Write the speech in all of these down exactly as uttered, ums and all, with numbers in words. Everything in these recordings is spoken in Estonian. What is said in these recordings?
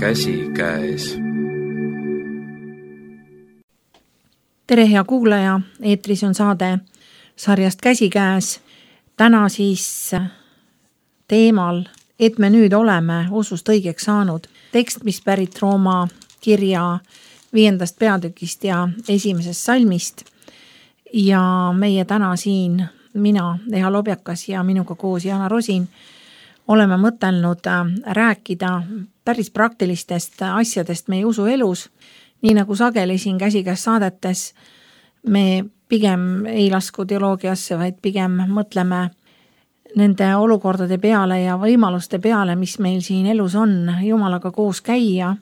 Käsikäes. Tere hea kuulaja, eetris on saade sarjast Käsikäes. Täna siis teemal, et me nüüd oleme usust õigeks saanud. Tekst, mis pärit Rooma kirja viiendast peatükist ja esimesest salmist. Ja meie täna siin, mina, Eha Lobjakas ja minuga koos Jana Rosin, oleme mõtelnud rääkida päris praktilistest asjadest meie usuelus. Nii nagu sageli siin Käsikäes saadetes, me pigem ei lasku teoloogiasse, vaid pigem mõtleme nende olukordade peale ja võimaluste peale, mis meil siin elus on, Jumalaga koos käia.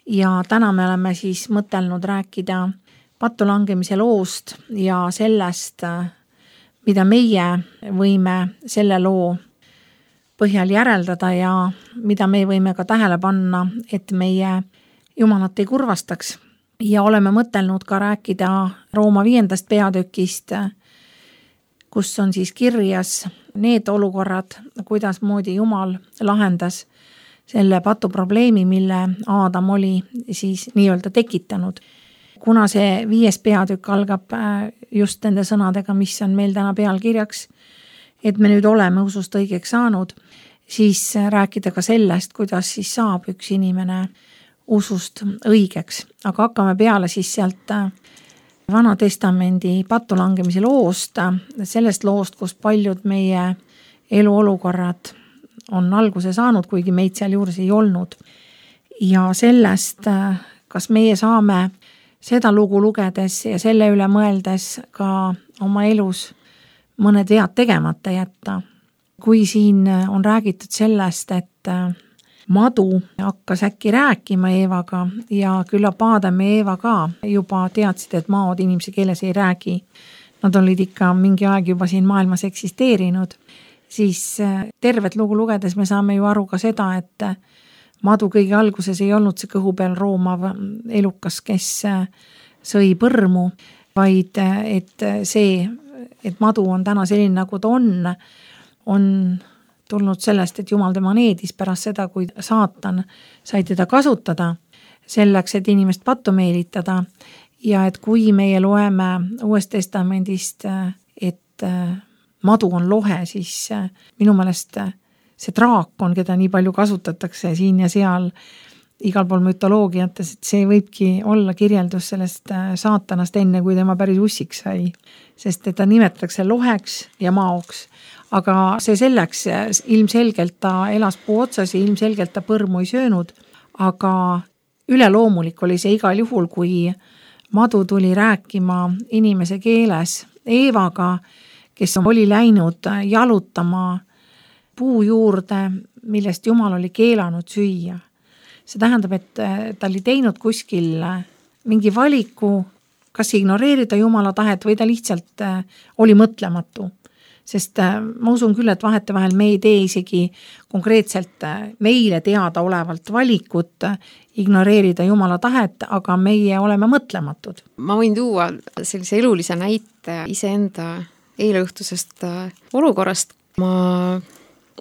Ja täna me oleme siis mõtelnud rääkida pattu langemise loost ja sellest, mida meie võime selle loo põhjal järeldada ja mida me võime ka tähele panna, et meie Jumalat ei kurvastaks. Ja oleme mõtelnud ka rääkida Rooma viiendast peatükist, kus on siis kirjas need olukorrad, kuidas moodi Jumal lahendas selle patu probleemi, mille Aadam oli siis nii-öelda tekitanud. Kuna see viies peatükk algab just nende sõnadega, mis on meil täna pealkirjaks, et me nüüd oleme usust õigeks saanud, siis rääkida ka sellest, kuidas siis saab üks inimene usust õigeks. Aga hakkame peale siis sealt Vana Testamendi pattu langemise loost, sellest loost, kus paljud meie eluolukorrad on alguse saanud, kuigi meid seal juures ei olnud. Ja sellest, kas meie saame seda lugu lugedes ja selle üle mõeldes ka oma elus mõned vead tegemata jätta. Kui siin on räägitud sellest, et madu hakkas äkki rääkima Eevaga ja küllap Aadam ja Eeva ka juba teadsid, et maod inimese keeles ei räägi. Nad olid ikka mingi aeg juba siin maailmas eksisteerinud. Siis tervet lugu lugedes me saame ju aru ka seda, et madu kõige alguses ei olnud see kõhu peal roomav elukas, kes sõi põrmu, vaid et see, et madu on täna selline, nagu ta on, on tulnud sellest, et Jumal tema needis pärast seda, kui saatan sai teda kasutada selleks, et inimest pattu meelitada. Ja et kui meie loeme Uuest Testamendist, et madu on lohe, siis minu meelest see draakon, keda nii palju kasutatakse siin ja seal igal pool mütoloogiates, et see võibki olla kirjeldus sellest saatanast enne, kui tema päris ussiks sai. Sest teda nimetatakse loheks ja maoks. Aga see selleks, ilmselgelt ta elas puu otsas ja ilmselgelt ta põrmu ei söönud, aga üleloomulik oli see igal juhul, kui madu tuli rääkima inimese keeles Eevaga, kes oli läinud jalutama puu juurde, millest Jumal oli keelanud süüa. See tähendab, et ta oli teinud kuskil mingi valiku, kas ignoreerida Jumala tahet või ta lihtsalt oli mõtlematu. Sest ma usun küll, et vahete vahel me ei tee isegi konkreetselt meile teada olevalt valikut ignoreerida Jumala tahet, aga meie oleme mõtlematud. Ma võin tuua sellise elulise näite iseenda eileõhtusest olukorrast. Ma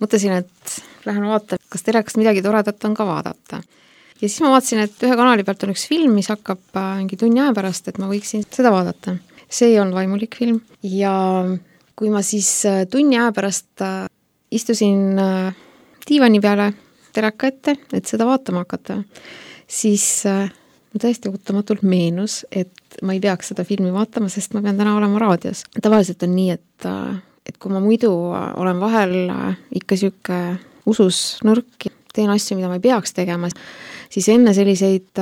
mõtlesin, et lähen vaatan, kas telekast midagi toredat on ka vaadata. Ja siis ma vaatasin, et ühe kanali pealt on üks film, mis hakkab mingi tunni aja pärast, et ma võiksin seda vaadata. See on vaimulik film ja kui ma siis tunni aja pärast istusin diivani peale teleka ette, et seda vaatama hakata, siis ma tõesti ootamatult meenus, et ma ei peaks seda filmi vaatama, sest ma pean täna olema raadios. Tavaliselt on nii, et, et kui ma muidu olen vahel ikka siuke usus nõrk, teen asju, mida ma ei peaks tegema, siis enne selliseid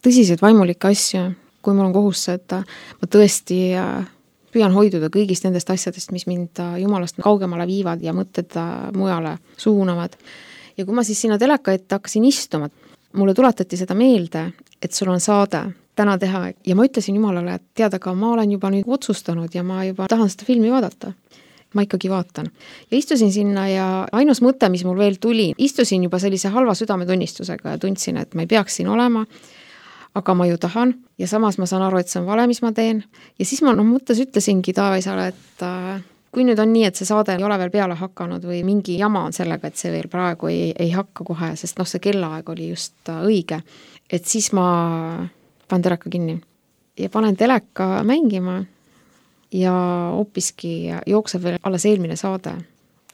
tõsiseid vaimulikke asju, kui mul on kohus, et ma tõesti püüan hoiduda kõigist nendest asjadest, mis mind Jumalast kaugemale viivad ja mõtted mujale suunavad. Ja kui ma siis sinna teleka ette hakkasin istuma, mulle tuletati seda meelde, et sul on saade täna teha ja ma ütlesin Jumalale, et teada ka ma olen juba nüüd otsustanud ja ma juba tahan seda filmi vaadata. Ma ikkagi vaatan. Ja istusin sinna ja ainus mõte, mis mul veel tuli, istusin juba sellise halva südametunnistusega ja tundsin, et ma ei peaks siin olema, aga ma ju tahan ja samas ma saan aru, et see on vale, mis ma teen. Ja siis ma no, mõttes ütlesingi Taavisale, et kui nüüd on nii, et see saade ei ole veel peale hakanud või mingi jama on sellega, et see veel praegu ei, ei hakka kohe, sest noh, see kellaaeg oli just õige, et siis ma panen teleka kinni ja panen teleka mängima ja hoopiski jookseb veel alles eelmine saade.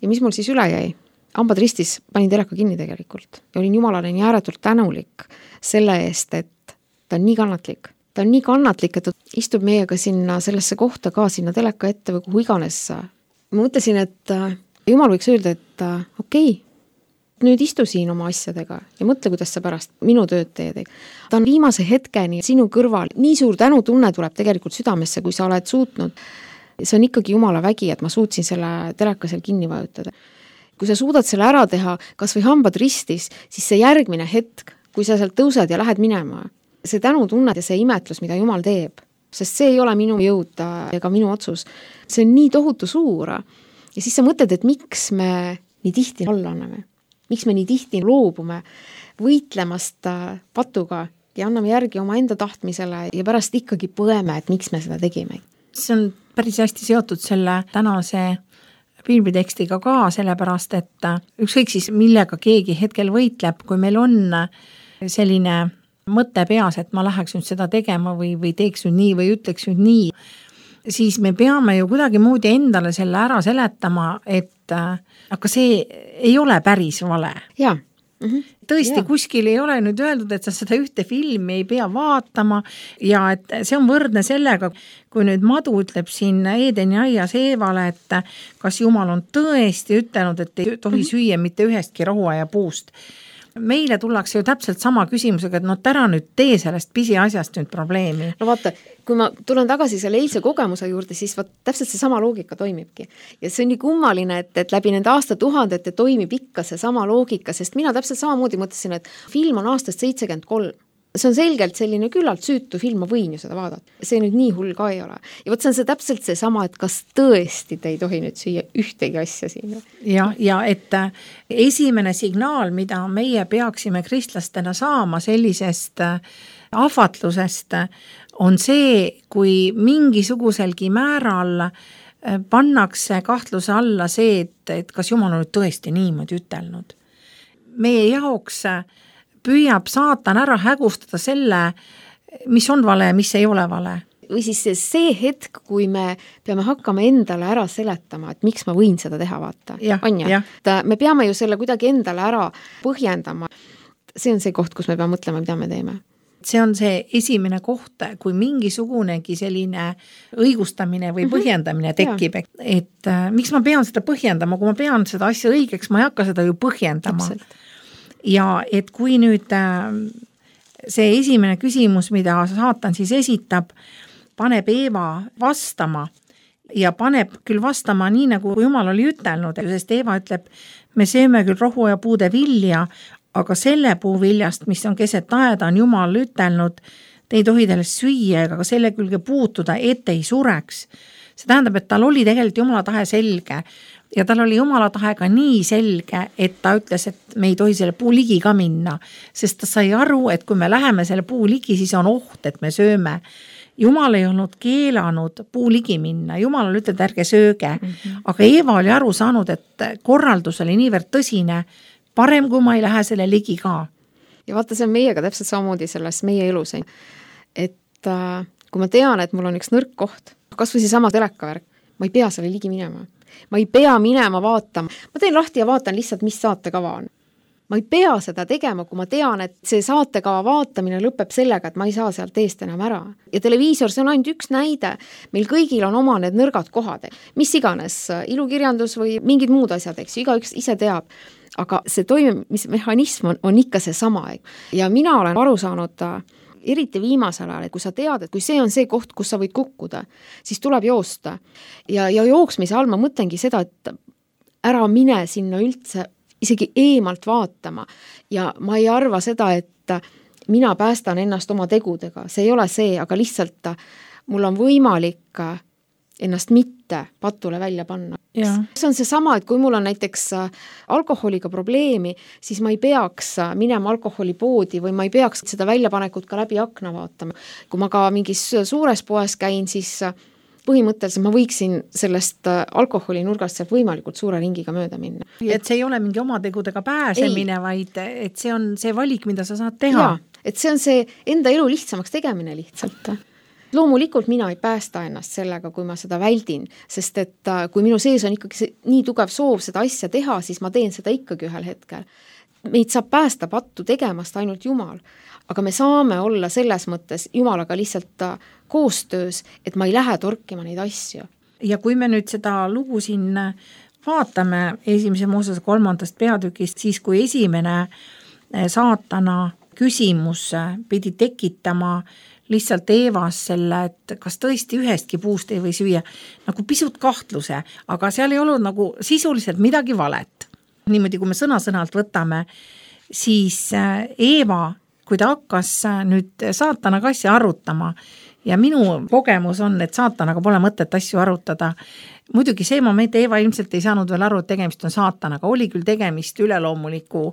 Ja mis mul siis üle jäi? Hambad ristis, panin teleka kinni tegelikult ja olin jumalale nii ääretult tänulik selle eest, et ta on nii kannatlik. Ta on nii kannatlik, et ta istub meiega sinna sellesse kohta ka sinna teleka ette või kuhu iganes. Ma mõtlesin, et jumal võiks öelda, et okei, okay, nüüd istu siin oma asjadega ja mõtle, kuidas sa pärast minu tööd teed. Ta on viimase hetkeni sinu kõrval. Nii suur tänutunne tuleb tegelikult südamesse, kui sa oled suutnud. See on ikkagi jumala vägi, et ma suutsin selle teleka seal kinni vajutada. Kui sa suudad selle ära teha, kas või hambad ristis, siis see järgmine hetk, kui sa sealt tõused ja lähed minema, see tänutunne ja see imetlus, mida Jumal teeb, sest see ei ole minu jõud ega minu otsus, see on nii tohutu suur. Ja siis sa mõtled, et miks me nii tihti alla anname, miks me nii tihti loobume võitlemast patuga ja anname järgi oma enda tahtmisele ja pärast ikkagi põeme, et miks me seda tegime. See on päris hästi seotud selle tänase piiblitekstiga ka, sellepärast, et ükskõik siis millega keegi hetkel võitleb, kui meil on selline mõte peas, et ma läheks nüüd seda tegema või, või teeks nüüd nii või ütleks nüüd nii, siis me peame ju kuidagi moodi endale selle ära seletama, et aga see ei ole päris vale. Jaa. Mm-hmm. Tõesti, ja. Kuskil ei ole nüüd öeldud, et sa seda ühte filmi ei pea vaatama ja et see on võrdne sellega, kui nüüd Madu ütleb siin Eedeni aias Eevale, et kas Jumal on tõesti ütelnud, et ei tohi mm-hmm. süüa mitte ühestki rohuaia puust. Meile tullakse ju täpselt sama küsimusega, et no täna nüüd tee sellest pisiasjast nüüd probleemi. No vaata, kui ma tulen tagasi selle eilse kogemuse juurde, siis vaat täpselt see sama loogika toimibki. Ja see on nii kummaline, et, et läbi nende aastatuhandete toimib ikka see sama loogika, sest mina täpselt samamoodi mõtlesin, et film on aastast seitsekümmend kolm. See on selgelt selline küllalt süütu film, ma võin ju seda vaadata. See nüüd nii hull ka ei ole. Ja võt see on see täpselt see sama, et kas tõesti te ei tohi nüüd süüa ühtegi asja siin. Ja, ja et esimene signaal, mida meie peaksime kristlastena saama sellisest ahvatlusest, on see, kui mingisuguselgi määral pannakse kahtluse alla see, et, et kas Jumal on nüüd tõesti niimoodi ütelnud. Meie jaoks püüab saatan ära hägustada selle, mis on vale ja mis ei ole vale. Või siis see hetk, kui me peame hakkama endale ära seletama, et miks ma võin seda teha, vaata. Ja, on ja? Me peame ju selle kuidagi endale ära põhjendama. See on see koht, kus me peame mõtlema, mida me teeme. See on see esimene koht, kui mingisugunegi selline õigustamine või põhjendamine tekib, et, et miks ma pean seda põhjendama, kui ma pean seda asja õigeks, ma ei hakka seda ju põhjendama. Täpselt. Ja et kui nüüd see esimene küsimus, mida saatan siis esitab, paneb Eeva vastama ja paneb küll vastama nii, nagu Jumal oli ütelnud, sest Eeva ütleb, me sööme küll rohu ja puude vilja, aga selle puu viljast, mis on keset aeda, on Jumal ütelnud, te ei tohi teilest süüa ega selle külge puutuda, et ei sureks. See tähendab, et tal oli tegelikult Jumala tahe selge. Ja tal oli Jumala tahe ka nii selge, et ta ütles, et me ei tohi selle puu ligi ka minna, sest ta sai aru, et kui me läheme selle puu ligi, siis on oht, et me sööme. Jumal ei olnud keelanud puu ligi minna, Jumal oli ütelnud, ärge sööge, mm-hmm. aga Eeva oli aru saanud, et korraldus oli niivõrd tõsine, parem kui ma ei lähe selle ligi ka. Ja vaata, see on meiega täpselt samamoodi selles meie elus, et äh, kui ma tean, et mul on üks nõrk koht, kas või see sama telekavärk, ma ei pea selle ligi minema. Ma ei pea minema vaatama. Ma teen lahti ja vaatan lihtsalt, mis saatekava on. Ma ei pea seda tegema, kui ma tean, et see saatekava vaatamine lõpeb sellega, et ma ei saa sealt eest enam ära. Ja televiisor, see on ainult üks näide. Meil kõigil on oma need nõrgad kohad. Mis iganes, ilukirjandus või mingid muud asjad, eks, igaüks ise teab. Aga see toimimismehhanism on, on ikka see sama. Ja mina olen aru saanud eriti viimasel ajal, et kui sa tead, et kui see on see koht, kus sa võid kukkuda, siis tuleb joosta. Ja, ja jooksmise all ma mõtlengi seda, et ära mine sinna üldse isegi eemalt vaatama. Ja ma ei arva seda, et mina päästan ennast oma tegudega. See ei ole see, aga lihtsalt mul on võimalik ennast mitte patule välja panna. Ja. See on see sama, et kui mul on näiteks alkoholiga probleemi, siis ma ei peaks minema alkoholipoodi või ma ei peaks seda väljapanekut ka läbi akna vaatama. Kui ma ka mingis suures poes käin, siis põhimõtteliselt ma võiksin sellest alkoholi nurgast sealt võimalikult suure ringiga mööda minna. Et see ei ole mingi oma tegudega pääsemine, ei. Vaid et see on see valik, mida sa saad teha. Jaa, et see on see enda elu lihtsamaks tegemine lihtsalt. Loomulikult mina ei päästa ennast sellega, kui ma seda väldin, sest et kui minu sees on ikkagi nii tugev soov seda asja teha, siis ma teen seda ikkagi ühel hetkel. Meid saab päästa pattu tegemast ainult Jumal, aga me saame olla selles mõttes Jumalaga lihtsalt koostöös, et ma ei lähe torkima neid asju. Ja kui me nüüd seda lugu siin vaatame esimese Moosese kolmandast peatükist, siis kui esimene saatana küsimus pidi tekitama lihtsalt Eevas selle, et kas tõesti ühestki puust ei või süüa, nagu pisut kahtluse, aga seal ei olnud nagu sisuliselt midagi valet. Niimoodi, kui me sõna-sõnalt võtame, siis Eeva, kui ta hakkas nüüd saatanaga asja arutama, ja minu kogemus on, et saatanaga pole mõtet asju arutada. Muidugi see moment Eeva ilmselt ei saanud veel aru, et tegemist on saatanaga, oli küll tegemist üleloomuliku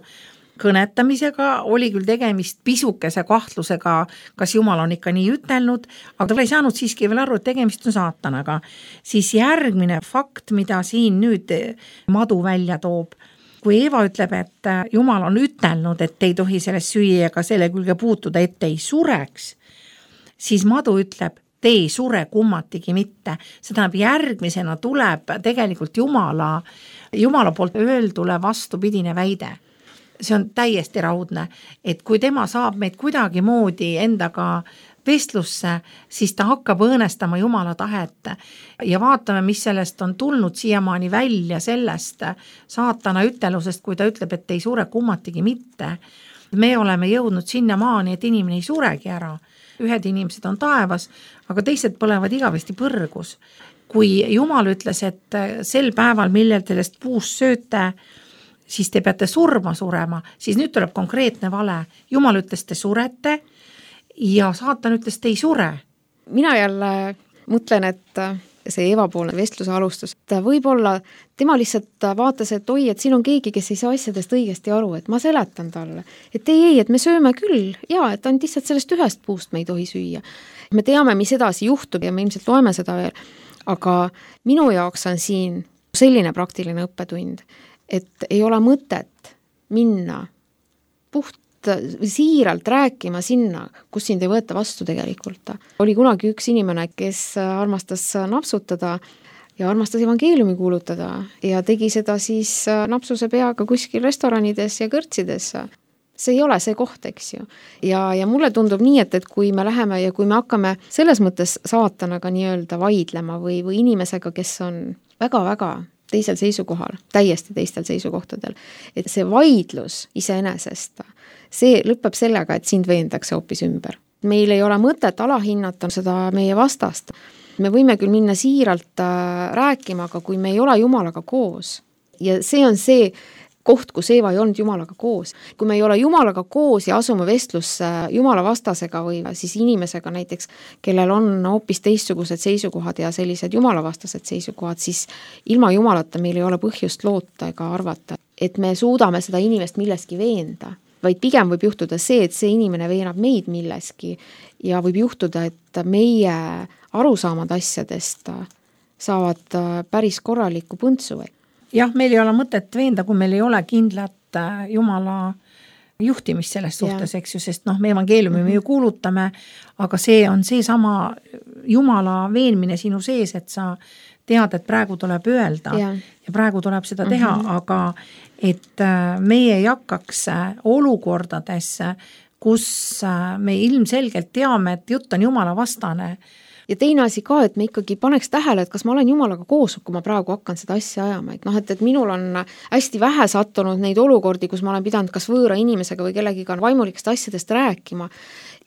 kõnetamisega, oli küll tegemist pisukese kahtlusega, kas Jumal on ikka nii ütelnud, aga ta ei saanud siiski veel aru, et tegemist on saatanaga. Siis järgmine fakt, mida siin nüüd Madu välja toob, kui Eeva ütleb, et Jumal on ütelnud, et ei tohi sellest süüa ega selle külge puutuda, et ei sureks, siis Madu ütleb, te ei sure kummatigi mitte. See tähendab, järgmisena tuleb tegelikult Jumala, Jumala poolt öeldule vastupidine väide. See on täiesti raudne, et kui tema saab meid kuidagi moodi endaga vestlusse, siis ta hakkab õõnestama Jumala tahet ja vaatame, mis sellest on tulnud siiamaani välja sellest saatana ütelusest, kui ta ütleb, et ei sure kummatigi mitte. Me oleme jõudnud sinna maani, et inimene ei suregi ära. Ühed inimesed on taevas, aga teised põlevad igavesti põrgus. Kui Jumal ütles, et sel päeval, millel sellest puust sööte, siis te peate surma surema, siis nüüd tuleb konkreetne vale. Jumal ütles, te surete ja saatan ütles, te ei sure. Mina jälle mõtlen, et see Eeva-poolne vestluse alustus, ta võib-olla, tema lihtsalt vaatas, et oi, et siin on keegi, kes ei saa asjadest õigesti aru, et ma seletan talle, et ei, ei, et me sööme küll, ja, et on lihtsalt sellest ühest puust me ei tohi süüa. Me teame, mis edasi juhtub ja me ilmselt loeme seda veel, aga minu jaoks on siin selline praktiline õppetund, et ei ole mõtet minna puht siiralt rääkima sinna, kus sind ei võeta vastu tegelikult. Oli kunagi üks inimene, kes armastas napsutada ja armastas evangeeliumi kuulutada ja tegi seda siis napsuse peaga kuskil restoranides ja kõrtsides. See ei ole see koht, eks ju. Ja, ja mulle tundub nii, et, et kui me läheme ja kui me hakkame selles mõttes saatanaga nii-öelda vaidlema või, või inimesega, kes on väga-väga teisel seisukohal, täiesti teistel seisukohtadel, et see vaidlus iseenesest, see lõpeb sellega, et sind veendakse hoopis ümber. Meil ei ole mõtet alahinnata seda meie vastast. Me võime küll minna siiralt rääkima, aga kui me ei ole Jumalaga koos ja see on see koht, kus Eeva ei olnud Jumalaga koos. Kui me ei ole Jumalaga koos ja asume vestlusse Jumala vastasega või siis inimesega näiteks, kellel on hoopis teistsugused seisukohad ja sellised Jumala vastased seisukohad, siis ilma Jumalata meil ei ole põhjust loota ega arvata, et me suudame seda inimest milleski veenda, vaid pigem võib juhtuda see, et see inimene veenab meid milleski ja võib juhtuda, et meie arusaamad asjadest saavad päris korralikku põntsu. Jah, meil ei ole mõtet veenda, kui meil ei ole kindlat Jumala juhtimist selles suhtes, eks ju, sest noh, me evangeeliumi mm-hmm. me ju kuulutame, aga see on see sama Jumala veenmine sinu sees, et sa tead, et praegu tuleb öelda ja, ja praegu tuleb seda teha, mm-hmm. aga et meie ei hakkaks olukordades, kus me ilmselgelt teame, et jutt on Jumala vastane. Ja teine asi ka, et me ikkagi paneks tähele, et kas ma olen Jumalaga koos, kui ma praegu hakkan seda asja ajama. Et noh, et, et minul on hästi vähe sattunud neid olukordi, kus ma olen pidanud kas võõra inimesega või kellegiga vaimulikest asjadest rääkima.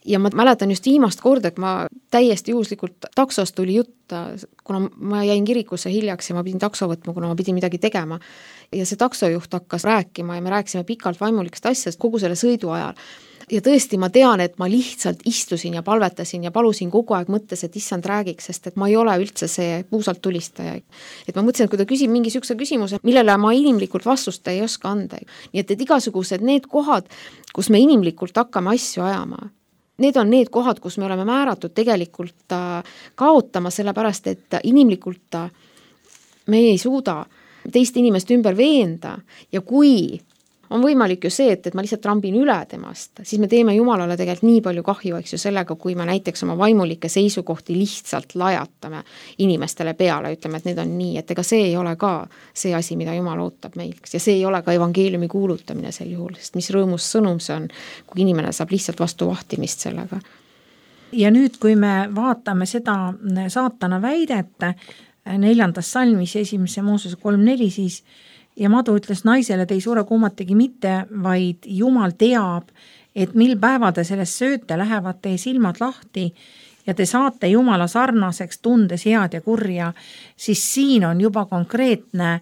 Ja ma mäletan just viimast korda, et ma täiesti juhuslikult taksost tuli jutt, kuna ma jäin kirikusse hiljaks ja ma pidin takso võtma, kuna ma pidin midagi tegema. Ja see taksojuht hakkas rääkima ja me rääkisime pikalt vaimulikest asjadest kogu selle sõidu ajal. Ja tõesti ma tean, et ma lihtsalt istusin ja palvetasin ja palusin kogu aeg mõttes, et issand räägiks, sest et ma ei ole üldse see puusalt tulistaja. Et ma mõtlesin, et kui ta küsib mingi sükse küsimuse, millele ma inimlikult vastust ei oska anda. Nii et, et igasugused need kohad, kus me inimlikult hakkame asju ajama, Need on need kohad, kus me oleme määratud tegelikult kaotama, sellepärast et inimlikult me ei suuda teist inimest ümber veenda ja kui on võimalik ju see, et, et ma lihtsalt trambin üle temast, siis me teeme Jumalale tegelikult nii palju kahju, eks ju, sellega, kui me näiteks oma vaimulikke seisukohti lihtsalt lajatame inimestele peale, ütleme, et need on nii, et ega see ei ole ka see asi, mida Jumal ootab meilt ja see ei ole ka evangeeliumi kuulutamine sel juhul, sest mis rõõmus sõnum see on, kui inimene saab lihtsalt vastu vahtimist sellega. Ja nüüd, kui me vaatame seda saatana väidet neljandas salmis esimese Moosese kolm neli, siis ja Madu ütles naisele, te ei sure kummategi mitte, vaid Jumal teab, et mil päeva te sellest sööte, lähevad teie silmad lahti ja te saate Jumala sarnaseks, tundes head ja kurja, siis siin on juba konkreetne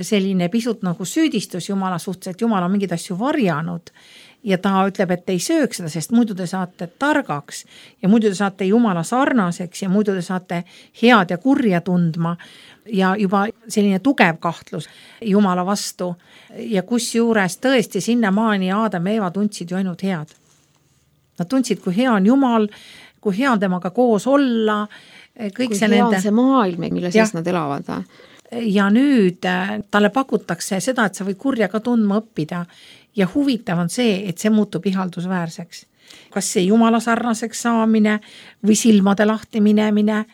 selline pisut nagu süüdistus Jumala suhtes, et Jumal on mingeid asju varjanud ja ta ütleb, et te ei sööks seda, sest muidu te saate targaks ja muidu te saate Jumala sarnaseks ja muidu te saate head ja kurja tundma ja juba selline tugev kahtlus Jumala vastu ja kus juures tõesti sinna maani Aadam ja Eeva tundsid ju ainult head. Nad tundsid, kui hea on Jumal, kui hea on temaga koos olla, kõik kui see hea nende... on see maailm, mille sees nad elavad. Ja nüüd talle pakutakse seda, et sa võid kurja ka tundma õppida ja huvitav on see, et see muutub ihaldusväärseks. Kas see Jumala sarnaseks saamine või silmade lahti minemine,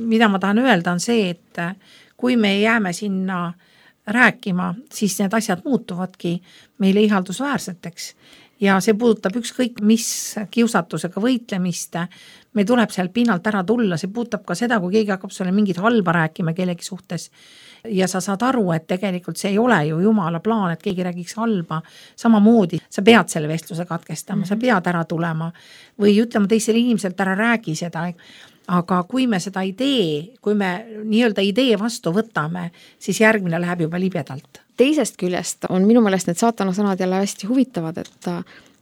mida ma tahan öelda on see, et kui me jääme sinna rääkima, siis need asjad muutuvadki meile ihaldusväärseteks ja see puudutab ükskõik mis kiusatusega võitlemist, me tuleb seal pinnalt ära tulla, see puudutab ka seda, kui keegi hakkab sulle mingit halba rääkima kellegi suhtes ja sa saad aru, et tegelikult see ei ole ju Jumala plaan, et keegi räägiks halba, samamoodi sa pead selle vestluse katkestama, mm-hmm. sa pead ära tulema või ütlema teisele inimeselt ära räägi seda, aga kui me seda ei tee, kui me nii-öelda idee vastu võtame, siis järgmine läheb juba libedalt. Teisest küljest on minu meelest need saatana sõnad jälle hästi huvitavad, et ta,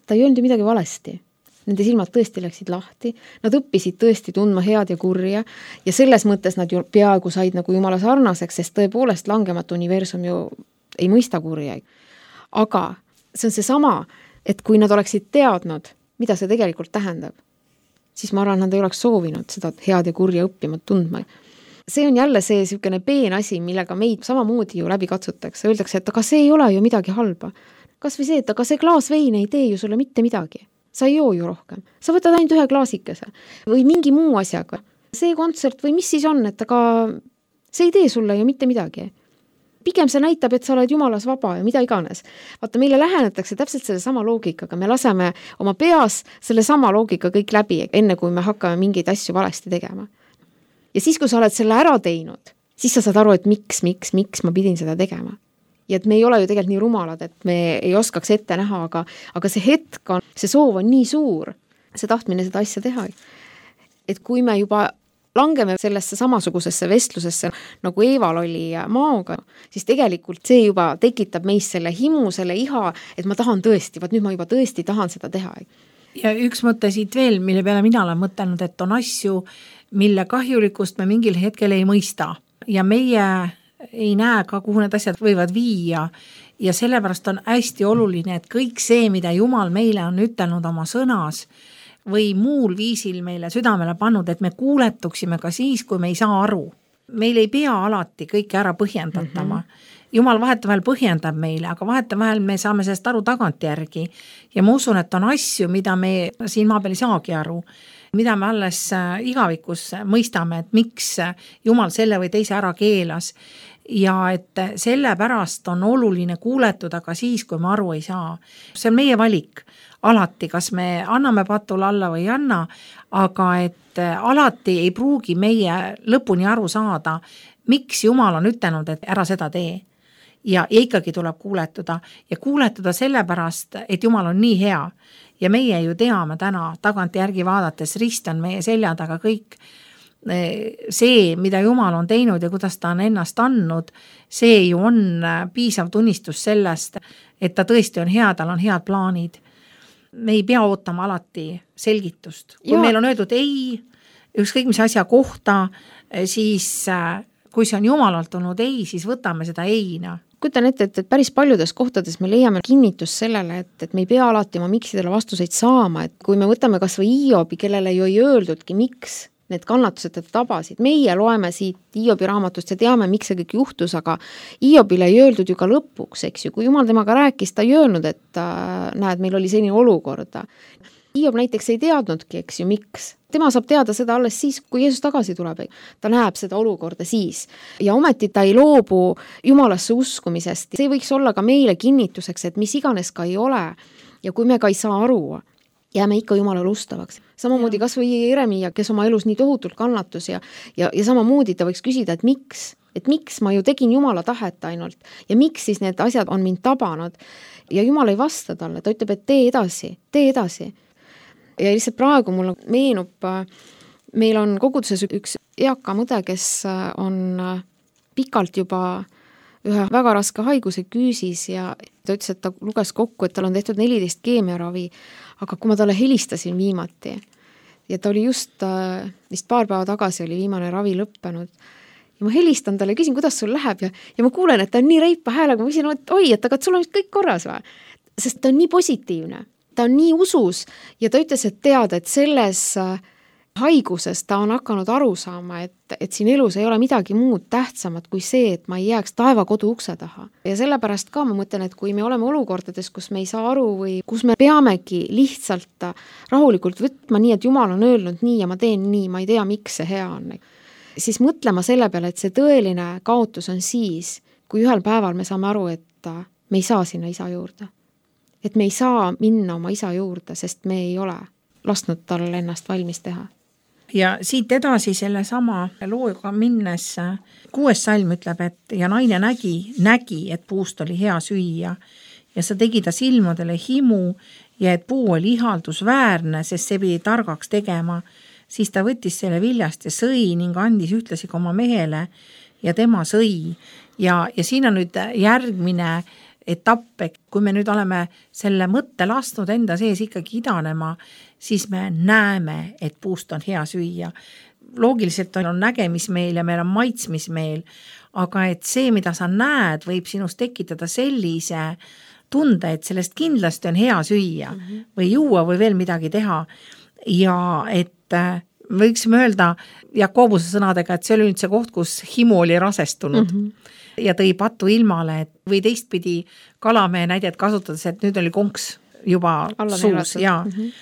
ta ei öelnud midagi valesti. Nende silmad tõesti läksid lahti, nad õppisid tõesti tundma head ja kurja ja selles mõttes nad ju peaaegu said nagu Jumala sarnaseks, sest tõepoolest langematu universum ju ei mõista kurja. Aga see on see sama, et kui nad oleksid teadnud, mida see tegelikult tähendab, siis ma arvan, nad ei oleks soovinud seda head ja kurja õppima tundma. See on jälle see sihukene peen asi, millega meid samamoodi ju läbi katsutakse. Öeldakse, et aga see ei ole ju midagi halba. Kas või see, et aga see klaas vein ei tee ju sulle mitte midagi. Sa ei joo ju rohkem. Sa võtad ainult ühe klaasikese või mingi muu asjaga. See kontsert või mis siis on, et aga see ei tee sulle ju mitte midagi. Pigem see näitab, et sa oled Jumalas vaba ja mida iganes. Vaata, meile lähenetakse täpselt selle sama loogikaga. Me laseme oma peas selle sama loogika kõik läbi, enne kui me hakkame mingeid asju valesti tegema. Ja siis, kui sa oled selle ära teinud, siis sa saad aru, et miks, miks, miks ma pidin seda tegema. Ja et me ei ole ju tegelikult nii rumalad, et me ei oskaks ette näha, aga, aga see hetk on, see soov on nii suur, see tahtmine seda asja teha. Et kui me juba langeme sellesse samasugusesse vestlusesse, nagu Eeval oli Maoga, siis tegelikult see juba tekitab meis selle himu, selle iha, et ma tahan tõesti, vaat nüüd ma juba tõesti tahan seda teha. Ja üks mõte siit veel, mille peale mina olen mõtelnud, et on asju, mille kahjulikust me mingil hetkel ei mõista ja meie ei näe ka, kuhu need asjad võivad viia ja sellepärast on hästi oluline, et kõik see, mida Jumal meile on ütelnud oma sõnas või muul viisil meile südamele pannud, et me kuuletuksime ka siis, kui me ei saa aru. Meil ei pea alati kõike ära põhjendatama. Mm-hmm. Jumal vahetevahel põhjendab meile, aga vahetevahel me saame sellest aru tagantjärgi ja ma usun, et on asju, mida me siin maa peal ei saagi aru, mida me alles igavikus mõistame, et miks Jumal selle või teise ära keelas ja et sellepärast on oluline kuuletuda ka siis, kui me aru ei saa. See on meie valik alati, kas me anname patule alla või ei anna, aga et alati ei pruugi meie lõpuni aru saada, miks Jumal on ütelnud, et ära seda tee. Ja, ja ikkagi tuleb kuuletuda ja kuuletuda sellepärast, et Jumal on nii hea ja meie ju teame täna tagant järgi vaadates, rist on meie selja taga kõik see, mida Jumal on teinud ja kuidas ta on ennast andnud, see ju on piisav tunnistus sellest, et ta tõesti on hea, tal on head plaanid. Me ei pea ootama alati selgitust. Kui ja. Meil on öeldud ei, ükskõik mis asja kohta, siis kui see on Jumalalt olnud ei, siis võtame seda eina. kujutan ette, et, et päris paljudes kohtades me leiame kinnitust sellele, et, et me ei pea alati oma miksidele vastuseid saama, et kui me võtame kas või Hiobi, kellele ju ei öeldudki, miks need kannatused teda tabasid. Meie loeme siit Hiobi raamatust ja teame, miks see kõik juhtus, aga Hiobile ei öeldud ju ka lõpuks, eks ju. Kui Jumal temaga rääkis, ta ei öelnud, et äh, näed, meil oli selline olukorda. Hiob näiteks ei teadnudki, eks ju, miks. Tema saab teada seda alles siis, kui Jeesus tagasi tuleb. Ta näeb seda olukorda siis. Ja ometi ta ei loobu Jumalasse uskumisest. See võiks olla ka meile kinnituseks, et mis iganes ka ei ole. Ja kui me ka ei saa aru, jääme ikka Jumalale ustavaks. Samamoodi kas või Jeremia, kes oma elus nii tohutult kannatus ja, ja, ja samamoodi ta võiks küsida, et miks, et miks ma ju tegin Jumala tahet ainult ja miks siis need asjad on mind tabanud ja Jumal ei vasta talle, ta ütleb, et tee edasi, tee edasi. Ja lihtsalt praegu mul meenub, meil on koguduses üks eaka mõde, kes on pikalt juba ühe väga raske haiguse küüsis ja ta ütles, et ta luges kokku, et tal on tehtud neliteist keemiaravi, aga kui ma talle helistasin viimati ja ta oli just, vist paar päeva tagasi oli viimane ravi lõppenud ja ma helistan talle, küsin, kuidas sul läheb ja, ja ma kuulen, et ta on nii reipa häälega, ma küsin, et oi, et aga et sul on kõik korras või? Sest ta on nii positiivne, ta on nii usus ja ta ütles, et tead, et selles haiguses ta on hakanud aru saama, et, et siin elus ei ole midagi muud tähtsamat kui see, et ma ei jääks taevakodu ukse taha. Ja sellepärast ka ma mõtlen, et kui me oleme olukordades, kus me ei saa aru või kus me peamegi lihtsalt rahulikult võtma nii, et Jumal on öelnud nii ja ma teen nii, ma ei tea, miks see hea on, siis mõtlema selle peale, et see tõeline kaotus on siis, kui ühel päeval me saame aru, et me ei saa sinna isa juurde. Et me ei saa minna oma isa juurde, sest me ei ole lasknud tal ennast valmis teha. Ja siit edasi selle sama looga minnes kuues salm ütleb, et ja naine nägi, nägi, et puust oli hea süüa ja sa tegi ta silmadele himu ja et puu oli ihaldusväärne, sest see pidi targaks tegema, siis ta võttis selle viljast ja sõi ning andis ühtlasi ka oma mehele ja tema sõi. Ja, ja siin on nüüd järgmine etapp, kui me nüüd oleme selle mõtte lasknud enda sees ikkagi idanema, siis me näeme, et puust on hea süüa. Loogiliselt on nägemismeel ja meil on maitsmismeel, aga et see, mida sa näed, võib sinust tekitada sellise tunde, et sellest kindlasti on hea süüa mm -hmm. või juua või veel midagi teha. Ja et võiksime öelda Jakobuse sõnadega, et see oli nüüd see koht, kus himu oli rasestunud. Mm -hmm. Ja tõi patu ilmale, et või teistpidi kalamehe näidet kasutades, et nüüd oli konks juba alla suus. Ja mm -hmm.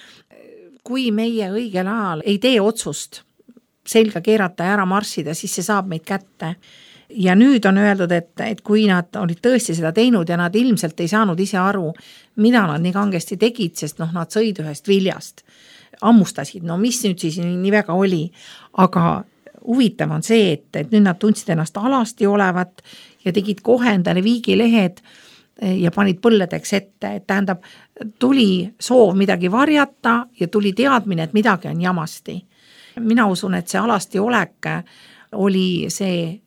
kui meie õigel ajal ei tee otsust selga keerata ja ära marssida, siis see saab meid kätte. Ja nüüd on öeldud, et, et kui nad olid tõesti seda teinud ja nad ilmselt ei saanud ise aru, mida nad nii kangesti tegid, sest noh, nad sõid ühest viljast, ammustasid, no mis nüüd siis nii, nii väga oli, aga huvitav on see, et, et nüüd nad tundsid ennast alasti olevat ja tegid kohe endale viigilehed ja panid põlledeks ette, et tähendab, tuli soov midagi varjata ja tuli teadmine, et midagi on jamasti. Mina usun, et see alasti olek oli see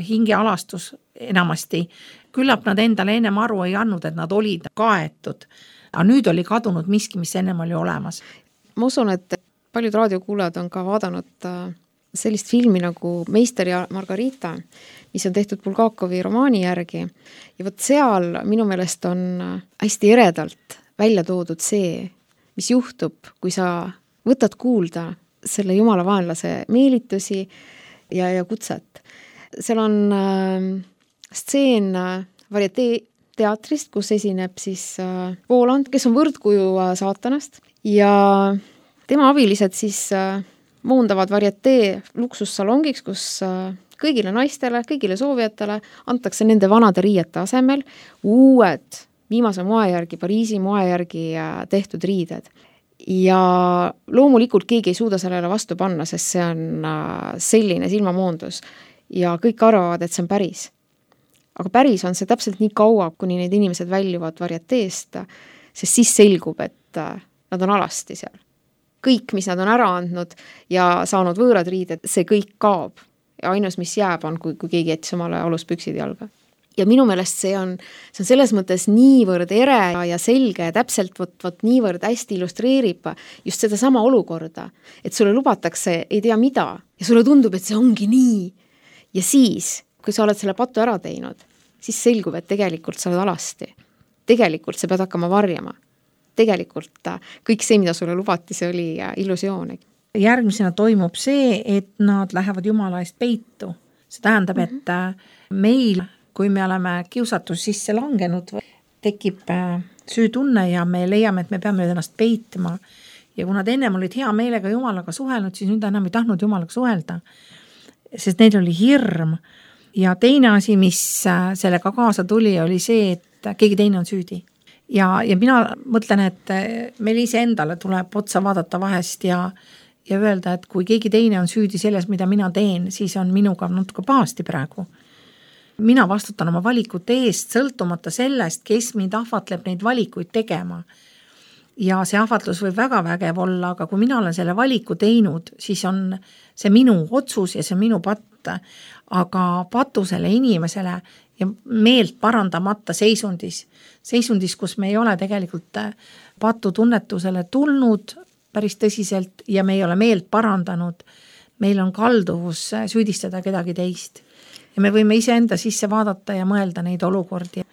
hingealastus enamasti. Küllap nad endale ennem aru ei andnud, et nad olid kaetud, aga nüüd oli kadunud miski, mis ennem oli olemas. Ma usun, et paljud raadiokuulajad on ka vaadanud sellist filmi nagu Meister ja Margarita, mis on tehtud Bulgakovi romaani järgi. Ja võt seal minu meelest on hästi eredalt välja toodud see, mis juhtub, kui sa võtad kuulda selle jumala vaenlase meelitusi ja, ja kutset. Seal on äh, stseen äh, varietee teatrist, kus esineb siis äh, Voland, kes on võrdkuju äh, saatanast ja tema abilised siis äh, moondavad varietee luksussalongiks, kus äh, kõigile naistele, kõigile soovijatele antakse nende vanade riiete asemel uued viimase moe järgi, Pariisi moe järgi tehtud riided. Ja loomulikult keegi ei suuda sellele vastu panna, sest see on selline silmamoondus ja kõik arvavad, et see on päris. Aga päris on see täpselt nii kaua, kuni need inimesed väljuvad varieteest, sest siis selgub, et nad on alasti seal. Kõik, mis nad on ära andnud ja saanud võõrad riided, see kõik kaob. Ja ainus, mis jääb, on, kui, kui keegi jättis omale aluspüksid jalga. Ja minu meelest see on, see on selles mõttes niivõrd ere ja selge ja täpselt võt, võt niivõrd hästi illustreerib just seda sama olukorda, et sulle lubatakse ei tea mida ja sulle tundub, et see ongi nii. Ja siis, kui sa oled selle patu ära teinud, siis selgub, et tegelikult sa oled alasti. Tegelikult sa pead hakkama varjama. Tegelikult kõik see, mida sulle lubati, see oli illusioon. Järgmisena toimub see, et nad lähevad Jumala eest peitu. See tähendab, mm-hmm. et meil, kui me oleme kiusatus sisse langenud, tekib süütunne ja me leiame, et me peame ennast peitma. Ja kuna ta ennem olid hea meelega Jumalaga suhelnud, siis nüüd enam ei tahtnud Jumalaga suhelda, sest neil oli hirm. Ja teine asi, mis sellega kaasa tuli, oli see, et keegi teine on süüdi. Ja, ja mina mõtlen, et meil ise endale tuleb otsa vaadata vahest ja, ja öelda, et kui keegi teine on süüdi selles, mida mina teen, siis on minuga natuke pahasti praegu. Mina vastutan oma valikute eest, sõltumata sellest, kes mind ahvatleb neid valikuid tegema. Ja see ahvatlus võib väga vägev olla, aga kui mina olen selle valiku teinud, siis on see minu otsus ja see minu patt. Aga patusele inimesele ja meelt parandamata seisundis, seisundis, kus me ei ole tegelikult patu tunnetusele tulnud päris tõsiselt ja me ei ole meelt parandanud, meil on kalduvus süüdistada kedagi teist. Ja me võime ise enda sisse vaadata ja mõelda neid olukordi.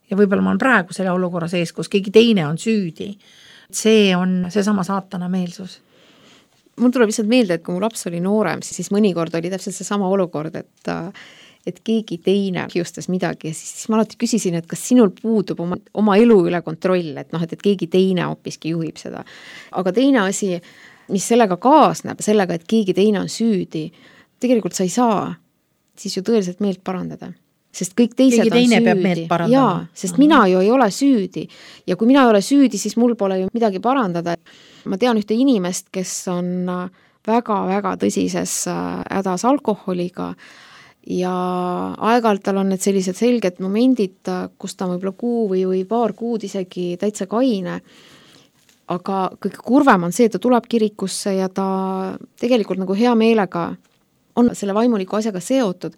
Ja võib-olla ma olen praegu selle olukorra sees, kus keegi teine on süüdi. See on seesama saatana meelsus. Mul tuleb lihtsalt meelde, et kui mu laps oli noorem, siis mõnikord oli täpselt see sama olukord, et, et keegi teine kiustas midagi ja siis, siis ma alati küsisin, et kas sinul puudub oma, oma elu üle kontroll, et, noh, et, et keegi teine hoopiski juhib seda. Aga teine asi, mis sellega kaasneb, sellega, et keegi teine on süüdi, tegelikult sa ei saa siis ju tõeliselt meelt parandada. Sest kõik teised keegi teine on peab süüdi. meelt parandama. Jaa, sest uh-huh. mina ju ei ole süüdi. Ja kui mina ei ole süüdi, siis mul pole ju midagi parandada. Ma tean ühte inimest, kes on väga-väga tõsises hädas alkoholiga ja aeg-ajalt tal on need sellised selged momendid, kus ta võib-olla kuu või, või paar kuud isegi täitsa kaine. Aga kõige kurvem on see, et ta tuleb kirikusse ja ta tegelikult nagu hea meelega on selle vaimuliku asjaga seotud.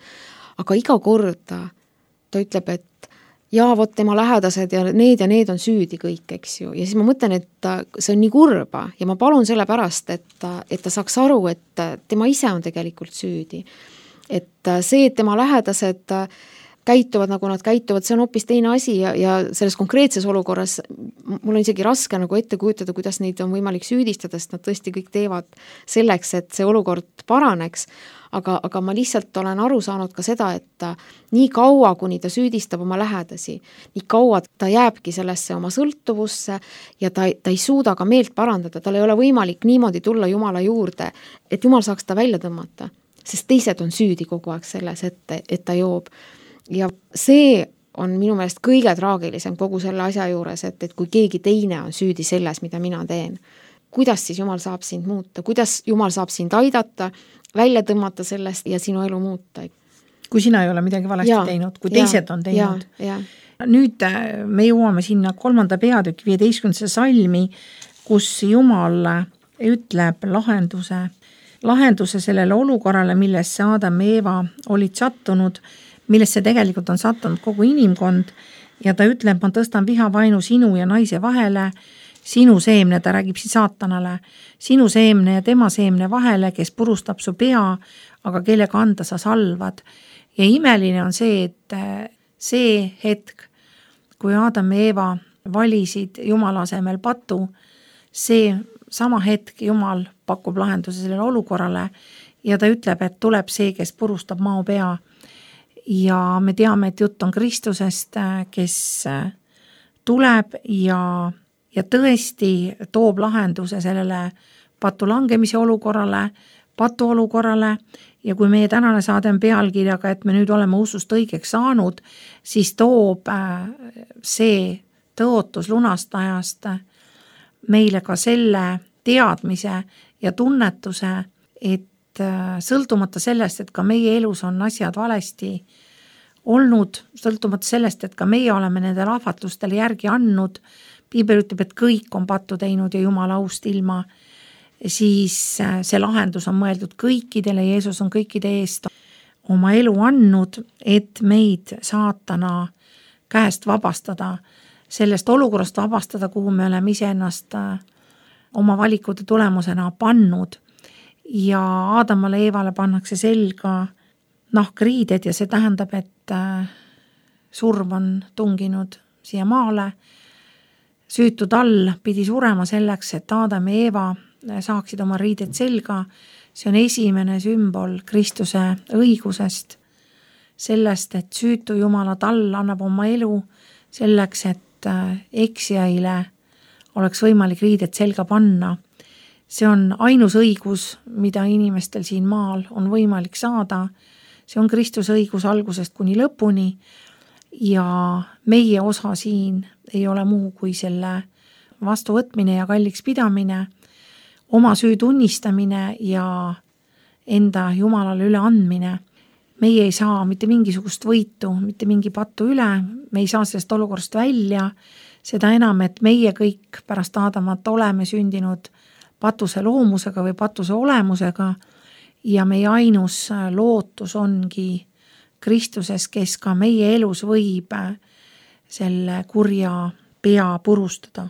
Aga iga kord ta, ta ütleb, et jaa, vot tema lähedased ja need ja need on süüdi kõik, eks ju. Ja siis ma mõtlen, et see on nii kurba ja ma palun selle pärast, et, et ta saaks aru, et tema ise on tegelikult süüdi. Et see, et tema lähedased käituvad, nagu nad käituvad, see on hoopis teine asi ja, ja selles konkreetses olukorras mul on isegi raske nagu ette kujutada, kuidas neid on võimalik süüdistada, sest nad tõesti kõik teevad selleks, et see olukord paraneks. Aga, aga ma lihtsalt olen aru saanud ka seda, et nii kaua, kuni ta süüdistab oma lähedasi, nii kaua ta jääbki sellesse oma sõltuvusse ja ta, ta ei suuda ka meelt parandada, tal ei ole võimalik niimoodi tulla Jumala juurde, et Jumal saaks ta välja tõmmata, sest teised on süüdi kogu aeg selles, et, et ta joob. Ja see on minu meelest kõige traagilisem kogu selle asja juures, et, et kui keegi teine on süüdi selles, mida mina teen, kuidas siis Jumal saab sind muuta, kuidas Jumal saab sind aidata, välja tõmmata sellest ja sinu elu muuta. Kui sina ei ole midagi valesti ja, teinud, kui teised ja, on teinud. Ja, ja. Nüüd me jõuame sinna kolmanda peatüki viieteistkümnendasse salmi, kus Jumal ütleb lahenduse, lahenduse sellele olukorrale, millesse Adam ja Eeva olid sattunud, millesse tegelikult on sattunud kogu inimkond ja ta ütleb, ma tõstan vihavainu sinu ja naise vahele, sinu seemne, ta räägib siin saatanale, sinu seemne ja tema seemne vahele, kes purustab su pea, aga kelle kanda sa salvad. Ja imeline on see, et see hetk, kui Adam ja Eeva valisid Jumala asemel patu, see sama hetk Jumal pakub lahenduse sellele olukorrale ja ta ütleb, et tuleb see, kes purustab mao pea. Ja me teame, et jutt on Kristusest, kes tuleb ja ja tõesti toob lahenduse sellele patu langemise olukorrale, patu olukorrale ja kui meie tänane saade on pealkirjaga, et me nüüd oleme usust õigeks saanud, siis toob see tõotus lunastajast meile ka selle teadmise ja tunnetuse, et sõltumata sellest, et ka meie elus on asjad valesti olnud, sõltumata sellest, et ka meie oleme nendele ahvatlustele järgi andnud, Piibel ütleb, et kõik on pattu teinud ja Jumala aust ilma, siis see lahendus on mõeldud kõikidele, Jeesus on kõikide eest oma elu andnud, et meid saatana käest vabastada, sellest olukorrast vabastada, kuhu me oleme iseennast oma valikute tulemusena pannud ja Aadamale Eevale pannakse selga nahkriided ja see tähendab, et surm on tunginud siia maale. Süütu tall pidi surema selleks, et Aadam ja Eeva saaksid oma riided selga. See on esimene sümbol Kristuse õigusest, sellest, et süütu Jumala tall annab oma elu selleks, et eksijaile oleks võimalik riided selga panna. See on ainus õigus, mida inimestel siin maal on võimalik saada. See on Kristuse õigus algusest kuni lõpuni ja meie osa siin ei ole muu kui selle vastuvõtmine ja kalliks pidamine, oma süü tunnistamine ja enda Jumalale üle andmine. Meie ei saa mitte mingisugust võitu, mitte mingi pattu üle, me ei saa sellest olukorrast välja, seda enam, et meie kõik pärast Aadamat oleme sündinud patuse loomusega või patuse olemusega ja meie ainus lootus ongi Kristuses, kes ka meie elus võib selle kurja pea purustada.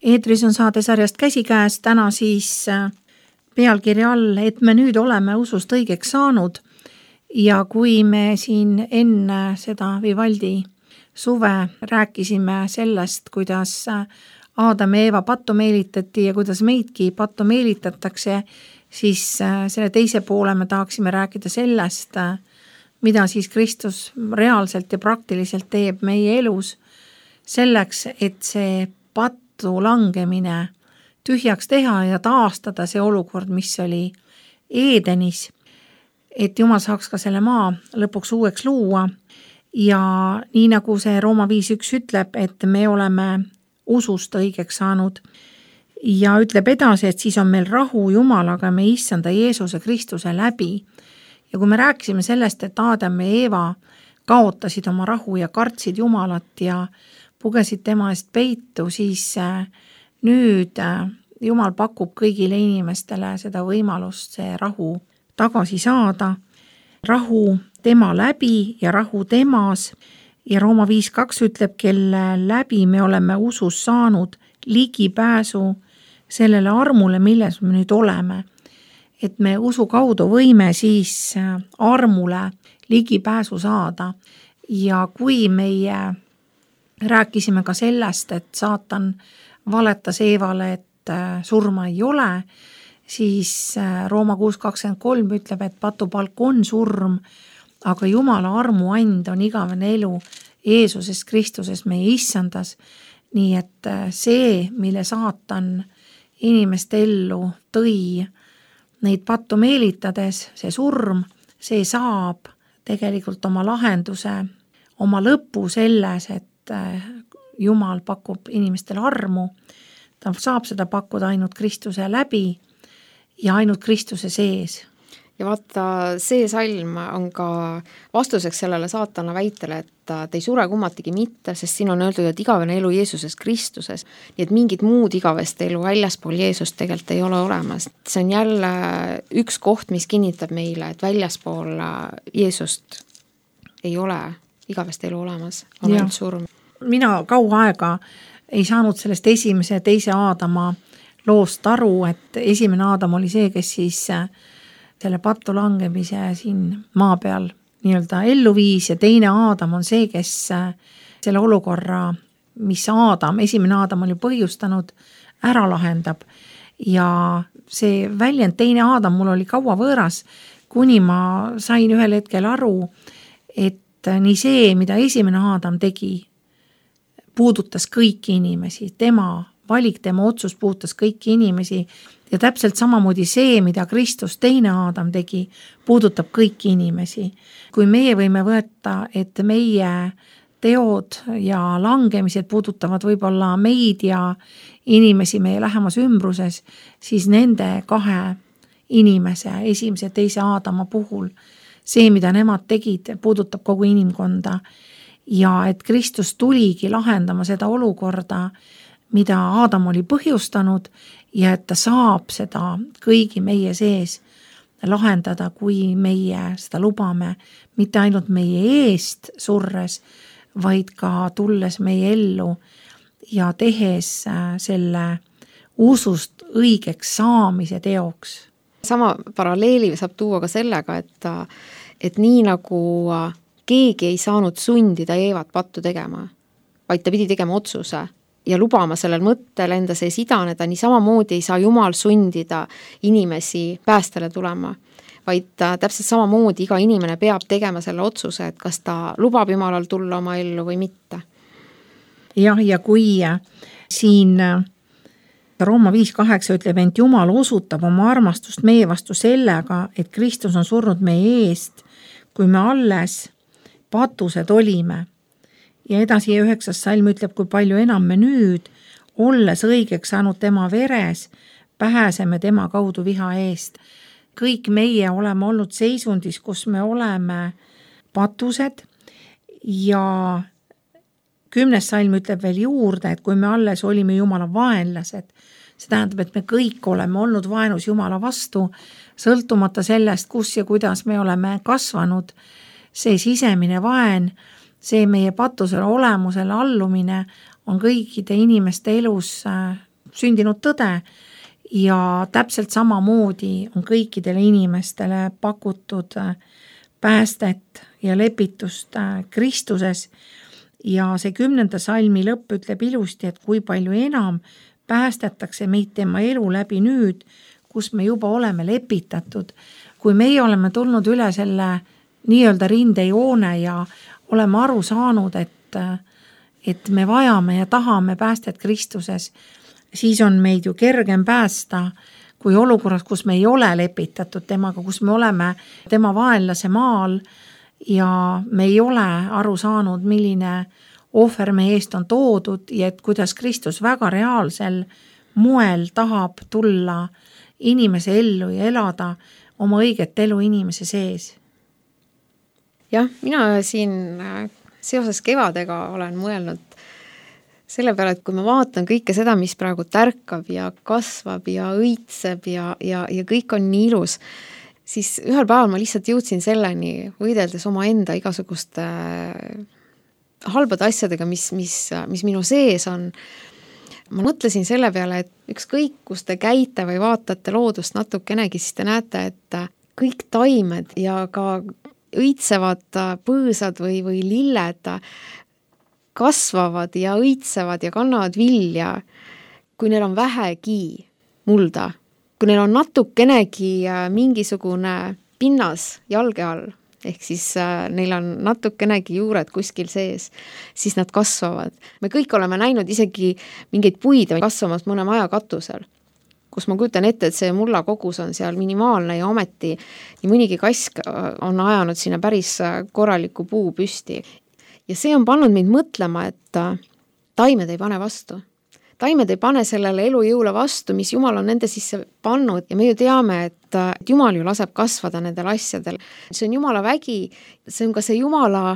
Eetris on saade sarjast Käsikäes, täna siis pealkirja all, et me nüüd oleme usust õigeks saanud ja kui me siin enne seda Vivaldi suve rääkisime sellest, kuidas Aadam ja Eeva pattu meelitati ja kuidas meidki pattu meelitatakse, siis selle teise poole me tahaksime rääkida sellest, mida siis Kristus reaalselt ja praktiliselt teeb meie elus selleks, et see pattu langemine tühjaks teha ja taastada see olukord, mis oli Eedenis, et Jumal saaks ka selle maa lõpuks uueks luua ja nii nagu see Rooma viis üks ütleb, et me oleme usust õigeks saanud ja ütleb edasi, et siis on meil rahu Jumalaga me issanda Jeesuse Kristuse läbi ja kui me rääkisime sellest, et Aadam ja Eeva kaotasid oma rahu ja kartsid Jumalat ja pugesid tema eest peitu, siis nüüd Jumal pakub kõigile inimestele seda võimalust see rahu tagasi saada. Rahu tema läbi ja rahu temas ja Rooma viis kaks ütleb, kelle läbi me oleme usus saanud ligipääsu sellele armule, milles me nüüd oleme. Et me usu kaudu võime siis armule ligipääsu saada. Ja kui meie rääkisime ka sellest, et saatan valetas Eevale, et surma ei ole, siis Rooma kuus kakskümmend kolm ütleb, et patupalk on surm, aga Jumala armuand on igavene elu Jeesuses Kristuses meie issandas. Nii et see, mille saatan inimeste ellu tõi neid pattu meelitades, see surm, see saab tegelikult oma lahenduse, oma lõpu selles, et Jumal pakub inimestele armu, ta saab seda pakkuda ainult Kristuse läbi ja ainult Kristuse sees. Ja vaata, see salm on ka vastuseks sellele saatana väitele, et ta ei sure kummatigi mitte, sest siin on öeldud, et igavene elu Jeesuses Kristuses, nii et mingit muud igavest elu väljaspool Jeesust tegelikult ei ole olemas. See on jälle üks koht, mis kinnitab meile, et väljaspool Jeesust ei ole igavest elu olemas, on ainult surm. Mina kaua aega ei saanud sellest esimese ja teise Aadama loost aru, et esimene Aadam oli see, kes siis selle pattu langemise siin maa peal nii-öelda ellu viis ja teine Aadam on see, kes selle olukorra, mis Aadam, esimene Aadam oli põhjustanud, ära lahendab. Ja see väljend teine Aadam mul oli kaua võõras, kuni ma sain ühel hetkel aru, et nii see, mida esimene Aadam tegi, puudutas kõiki inimesi, tema valik, tema otsus puudutas kõiki inimesi ja täpselt samamoodi see, mida Kristus teine Aadam tegi, puudutab kõiki inimesi. Kui meie võime võtta, et meie teod ja langemised puudutavad võib-olla meid ja inimesi meie lähemas ümbruses, siis nende kahe inimese, esimese ja teise Aadama puhul, see, mida nemad tegid, puudutab kogu inimkonda. Ja et Kristus tuligi lahendama seda olukorda, mida Aadam oli põhjustanud ja et ta saab seda kõigi meie sees lahendada, kui meie seda lubame, mitte ainult meie eest surres, vaid ka tulles meie ellu ja tehes selle usust õigeks saamise teoks. Sama paralleeli saab tuua ka sellega, et, et nii nagu keegi ei saanud sundida Eevat pattu tegema, vaid ta pidi tegema otsuse ja lubama sellel mõttel enda sees idaneda, nii samamoodi ei saa Jumal sundida inimesi päästele tulema, vaid täpselt samamoodi iga inimene peab tegema selle otsuse, et kas ta lubab Jumalal tulla oma ellu või mitte. Jah, ja kui siin Rooma viis kaheksa ütleb, et Jumal osutab oma armastust meie vastu sellega, et Kristus on surnud meie eest, kui me alles patused olime. Ja edasi üheksas salm ütleb, kui palju enam me nüüd, olles õigeks saanud tema veres, pääseme tema kaudu viha eest. Kõik meie oleme olnud seisundis, kus me oleme patused ja kümnes salm ütleb veel juurde, et kui me alles olime Jumala vaenlased, see tähendab, et me kõik oleme olnud vaenus Jumala vastu, sõltumata sellest, kus ja kuidas me oleme kasvanud, see sisemine vaen, see meie patusele olemusele allumine on kõikide inimeste elus sündinud tõde ja täpselt samamoodi on kõikidele inimestele pakutud päästet ja lepitust Kristuses ja see kümnenda salmi lõpp ütleb ilusti, et kui palju enam päästetakse meid tema elu läbi nüüd, kus me juba oleme lepitatud. Kui meie oleme tulnud üle selle nii-öelda rindejoone ja oleme aru saanud, et, et me vajame ja tahame päästet Kristuses, siis on meid ju kergem päästa kui olukorras, kus me ei ole lepitatud temaga, kus me oleme tema vaenlase maal ja me ei ole aru saanud, milline ohver meie eest on toodud ja et kuidas Kristus väga reaalsel moel tahab tulla inimese ellu ja elada oma õiget elu inimese sees. Jah, mina siin seoses kevadega olen mõelnud selle peale, et kui ma vaatan kõike seda, mis praegu tärkab ja kasvab ja õitseb ja, ja, ja kõik on nii ilus, siis ühel päeval ma lihtsalt jõudsin selleni, võideldes oma enda igasuguste halbade asjadega, mis, mis, mis minu sees on. Ma mõtlesin selle peale, et ükskõik, kus te käite või vaatate loodust natukenegi, siis te näete, et kõik taimed ja ka õitsevad põõsad või, või lilled kasvavad ja õitsevad ja kannavad vilja, kui neil on vähegi mulda, kui neil on natukenegi mingisugune pinnas jalge all, ehk siis äh, neil on natukenegi juured kuskil sees, siis nad kasvavad. Me kõik oleme näinud isegi mingeid puid kasvamas mõne maja katusel, kus ma kujutan ette, et see mulla kogus on seal minimaalne ja ometi nii mõnigi kask on ajanud sinna päris korraliku puu püsti. Ja see on pannud mind mõtlema, et äh, taimed ei pane vastu. Taimed ei pane sellele elujõule vastu, mis Jumal on nende sisse pannud ja me ju teame, et Jumal ju laseb kasvada nendel asjadel. See on Jumala vägi, see on ka see Jumala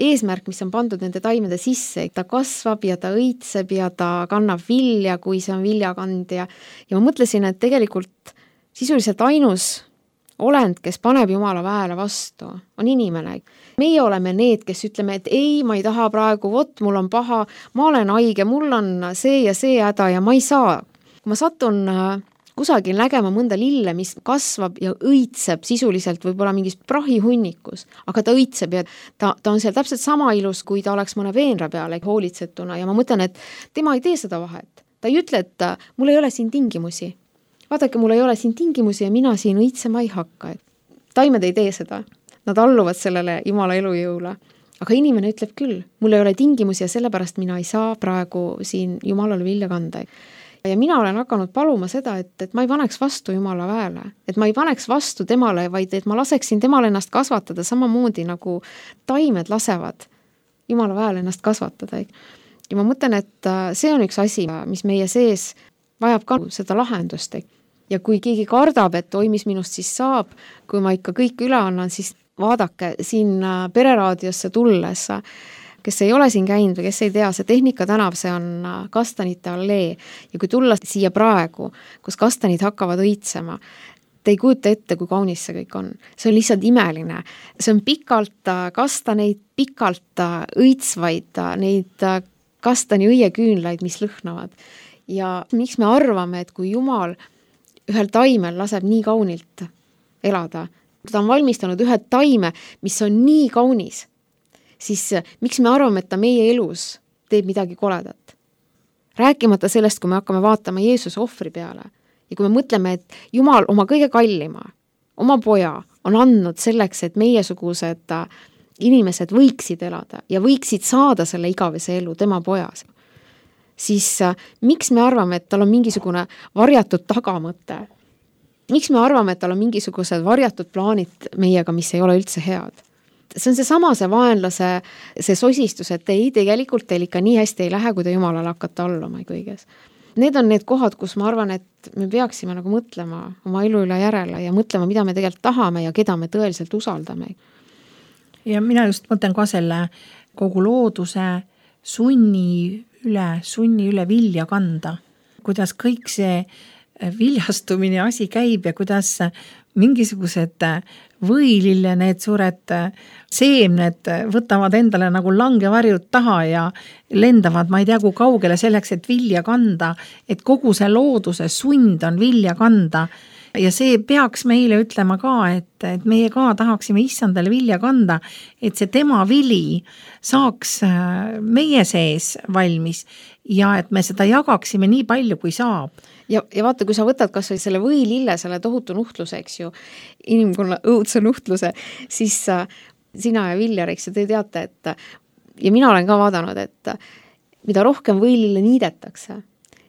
eesmärk, mis on pandud nende taimede sisse. Ta kasvab ja ta õitseb ja ta kannab vilja, kui see on viljakandja. Ja ma mõtlesin, et tegelikult sisuliselt ainus olend, kes paneb Jumala väele vastu, on inimene. Meie oleme need, kes ütleme, et ei, ma ei taha praegu, vot mul on paha, ma olen haige, mul on see ja see häda ja ma ei saa. Kui ma satun kusagil nägema mõnda lille, mis kasvab ja õitseb sisuliselt võib-olla mingis prahihunnikus, aga ta õitseb ja ta, ta on seal täpselt sama ilus, kui ta oleks mõne veenra peale hoolitsetuna ja ma mõtlen, et tema ei tee seda vahet. Ta ei ütle, et mul ei ole siin tingimusi. Vaadake, mul ei ole siin tingimusi ja mina siin õitsema ei hakka. Taimed ei tee seda. Nad alluvad sellele Jumala elujõule. Aga inimene ütleb küll, mul ei ole tingimusi ja sellepärast mina ei saa praegu siin Jumalale vilja kanda. Ja mina olen hakanud paluma seda, et, et ma ei paneks vastu Jumala väele. Et ma ei paneks vastu temale, vaid et ma laseksin temal ennast kasvatada samamoodi nagu taimed lasevad Jumala väele ennast kasvatada. Ja ma mõtlen, et see on üks asi, mis meie sees vajab ka seda lahendust. Ja kui keegi kardab, et oi, mis minust siis saab, kui ma ikka kõik üle annan, siis vaadake siin Pereraadiosse tulles, kes ei ole siin käinud või kes ei tea, see Tehnika tänav, see on kastanite allee ja kui tulla siia praegu, kus kastanid hakkavad õitsema, te ei kujuta ette, kui kaunis see kõik on. See on lihtsalt imeline. See on pikalt kastaneid, pikalt õitsvaid, neid kastani õieküünlaid, mis lõhnavad. Ja miks me arvame, et kui Jumal ühel taimel laseb nii kaunilt elada, ta on valmistanud ühe taime, mis on nii kaunis, siis miks me arvame, et ta meie elus teeb midagi koledat? Rääkimata sellest, kui me hakkame vaatama Jeesuse ohvri peale ja kui me mõtleme, et Jumal oma kõige kallima, oma poja on andnud selleks, et meiesugused inimesed võiksid elada ja võiksid saada selle igavese elu tema pojas, siis äh, miks me arvame, et tal on mingisugune varjatud tagamõte? Miks me arvame, et tal on mingisugused varjatud plaanid meiega, mis ei ole üldse head? See on see sama see vaenlase, see sosistus, et ei, tegelikult teil ikka nii hästi ei lähe, kui te Jumalale hakkate alluma kõiges. Need on need kohad, kus ma arvan, et me peaksime nagu mõtlema oma elu üle järele ja mõtlema, mida me tegelikult tahame ja keda me tõeliselt usaldame. Ja mina just mõtlen ka selle kogu looduse sunni üle, sunni üle vilja kanda, kuidas kõik see viljastumine asi käib ja kuidas mingisugused võilille need suured seemned võtavad endale nagu langevarjud taha ja lendavad, ma ei tea, kui kaugele selleks, et vilja kanda, et kogu see looduse sund on vilja kanda. Ja see peaks meile ütlema ka, et, et meie ka tahaksime issandale vilja kanda, et see tema vili saaks meie sees valmis ja et me seda jagaksime nii palju, kui saab. Ja, ja vaata, kui sa võtad kas või selle võilille, selle tohutu nuhtluse, eks ju, inimkonna õudse nuhtluse, siis sina ja Viljar, eks ju, te teate, et ja mina olen ka vaadanud, et mida rohkem võilille niidetakse,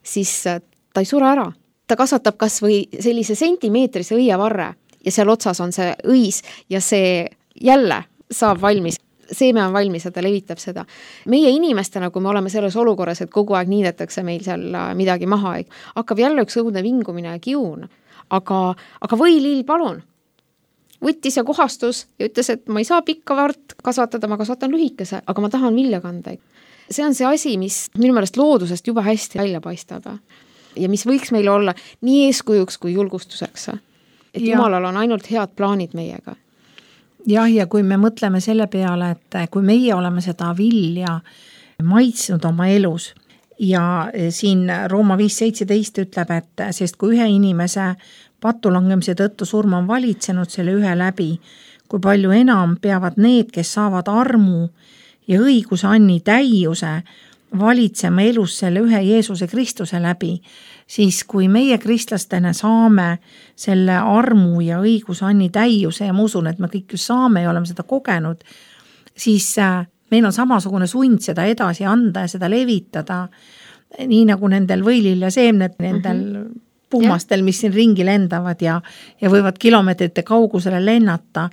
siis ta ei sure ära. Ta kasvatab kas või sellise sentimeetrise õievarre ja seal otsas on see õis ja see jälle saab valmis. Seeme on valmis ja ta levitab seda. Meie inimestena, kui me oleme selles olukorras, et kogu aeg niidetakse meil seal midagi maha, hakkab jälle üks õudne vingumine ja kiun. Aga, aga võilill, palun. Võttis ja kohastus ja ütles, et ma ei saa pikka vart kasvatada, ma kasvatan lühikese, aga ma tahan vilja kanda. See on see asi, mis minu meelest loodusest juba hästi välja paistab. Ja mis võiks meile olla nii eeskujuks kui julgustuseks. Et ja. Jumalal on ainult head plaanid meiega. Jah, ja kui me mõtleme selle peale, et kui meie oleme seda vilja maitsnud oma elus ja siin Rooma viis seitseteist ütleb, et sest kui ühe inimese patulangemise tõttu surm on valitsenud selle ühe läbi, kui palju enam peavad need, kes saavad armu ja õiguse anni täiuse, valitsema elus selle ühe Jeesuse Kristuse läbi, siis kui meie kristlastena saame selle armu ja õiguse anni täiuse ja ma usun, et me kõik ju saame ja oleme seda kogenud, siis meil on samasugune sund seda edasi anda ja seda levitada, nii nagu nendel võililja seemned, nendel mm-hmm. puhmastel, mis siin ringi lendavad ja, ja võivad kilomeetrite kaugusele lennata.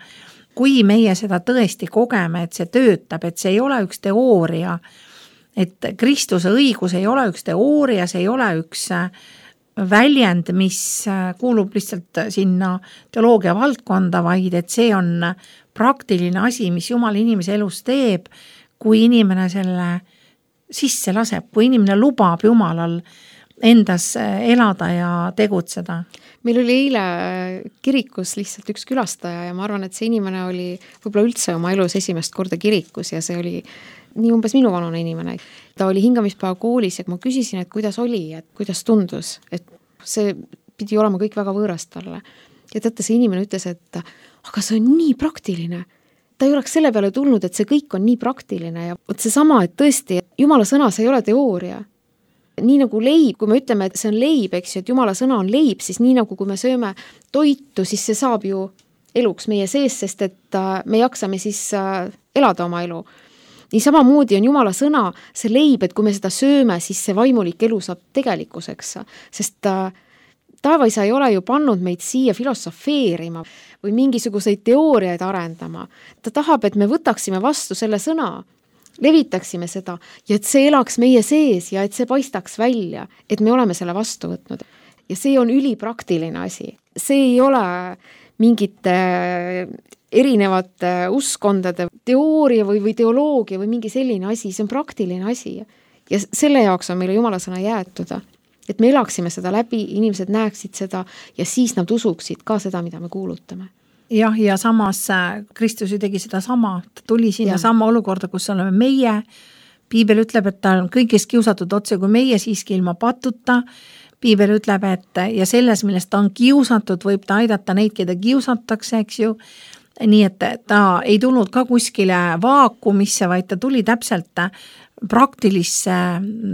Kui meie seda tõesti kogeme, et see töötab, et see ei ole üks teooria, et Kristuse õigus ei ole üks teooria, see ei ole üks väljend, mis kuulub lihtsalt sinna teoloogia valdkonda, vaid et see on praktiline asi, mis Jumal inimese elus teeb, kui inimene selle sisse laseb, kui inimene lubab Jumalal endas elada ja tegutseda. Meil oli eile kirikus lihtsalt üks külastaja ja ma arvan, et see inimene oli võib-olla üldse oma elus esimest korda kirikus ja see oli nii umbes minu vanune inimene. Ta oli hingamispäeva koolis ja ma küsisin, et kuidas oli, et kuidas tundus, et see pidi olema kõik väga võõrast talle. Ja teate, see inimene ütles, et aga see on nii praktiline. Ta ei oleks selle peale tulnud, et see kõik on nii praktiline ja võt see sama, et tõesti, Jumala sõna, see ei ole teooria. Nii nagu leib, kui me ütleme, et see on leib, eks ju, et Jumala sõna on leib, siis nii nagu kui me sööme toitu, siis see saab ju eluks meie sees, sest et me jaksame siis elada oma elu. Nii samamoodi on Jumala sõna see leib, et kui me seda sööme, siis see vaimulik elu saab tegelikkuseks, sest taevaisa ei ole ju pannud meid siia filosofeerima või mingisuguseid teooriaid arendama. Ta tahab, et me võtaksime vastu selle sõna, levitaksime seda ja et see elaks meie sees ja et see paistaks välja, et me oleme selle vastu võtnud. Ja see on ülipraktiline asi. See ei ole mingite erinevate uskondade teooria või, või teoloogia või mingi selline asi, see on praktiline asi. Ja selle jaoks on meile Jumala sõna jäetud, et me elaksime seda läbi, inimesed näeksid seda ja siis nad usuksid ka seda, mida me kuulutame. Jah, ja samas Kristus ju tegi seda sama, ta tuli sinna ja. sama olukorda, kus oleme meie. Piibel ütleb, et ta on kõigest kiusatud otse kui meie siiski ilma patuta. Piibel ütleb, et ja selles, millest ta on kiusatud, võib ta aidata neid, keda kiusatakse, eks ju. Nii et ta ei tulnud ka kuskile vaakumisse, vaid ta tuli täpselt praktilisse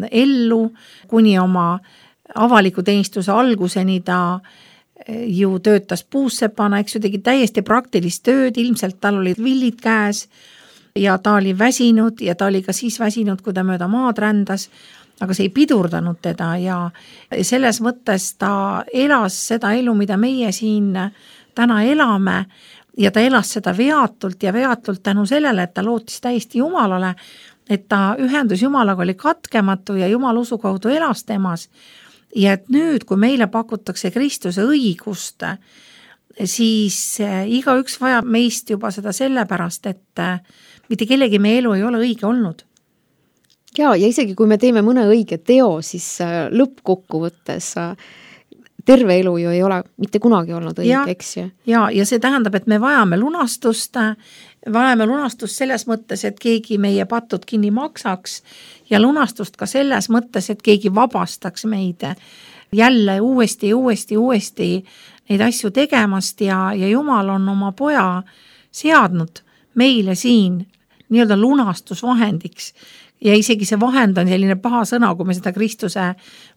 ellu, kuni oma avaliku teenistuse alguseni ta ju töötas puussepana, eks ju, tegi täiesti praktilist tööd, ilmselt tal olid villid käes ja ta oli väsinud ja ta oli ka siis väsinud, kui ta mööda maad rändas, aga see ei pidurdanud teda ja selles mõttes ta elas seda elu, mida meie siin täna elame ja ta elas seda veatult ja veatult tänu sellele, et ta lootis täiesti Jumalale, et ta ühendus Jumalaga oli katkematu ja Jumala usu kaudu elas temas. Ja et nüüd, kui meile pakutakse Kristuse õigust, siis iga üks vajab meist juba seda sellepärast, et mitte kellegi meie elu ei ole õige olnud. Ja, ja isegi kui me teeme mõne õige teo, siis lõppkokkuvõttes terve elu ju ei ole mitte kunagi olnud õige, eks ju. Ja, ja see tähendab, et me vajame lunastust, vajame lunastust selles mõttes, et keegi meie patud kinni maksaks ja lunastust ka selles mõttes, et keegi vabastaks meid jälle uuesti, uuesti, uuesti neid asju tegemast ja, ja Jumal on oma poja seadnud meile siin nii-öelda lunastusvahendiks. Ja isegi see vahend on selline paha sõna, kui me seda Kristuse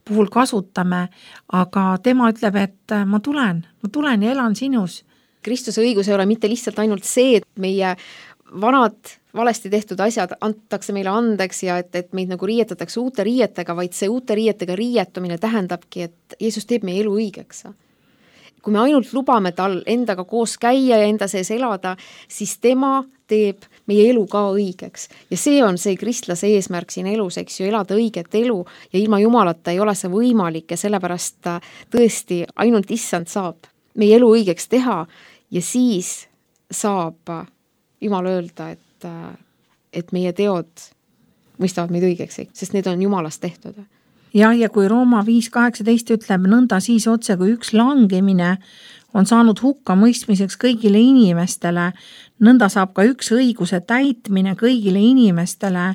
puhul kasutame, aga tema ütleb, et ma tulen, ma tulen ja elan sinus. Kristuse õigus ei ole mitte lihtsalt ainult see, et meie vanad valesti tehtud asjad antakse meile andeks ja et, et meid nagu riietatakse uute riietega, vaid see uute riietega riietumine tähendabki, et Jeesus teeb meie elu õigeks. Kui me ainult lubame tal endaga koos käia ja enda sees elada, siis tema teeb meie elu ka õigeks. Ja see on see kristlase eesmärk siin elus, eks ju, elada õiget elu ja ilma Jumalata ei ole see võimalik ja sellepärast tõesti ainult issand saab meie elu õigeks teha ja siis saab Jumal öelda, et, et meie teod mõistavad meid õigeks, sest need on Jumalast tehtud. Ja, ja kui Rooma viis kaheksateist ütleb nõnda siis otse, kui üks langemine on saanud hukka mõistmiseks kõigile inimestele, nõnda saab ka üks õiguse täitmine kõigile inimestele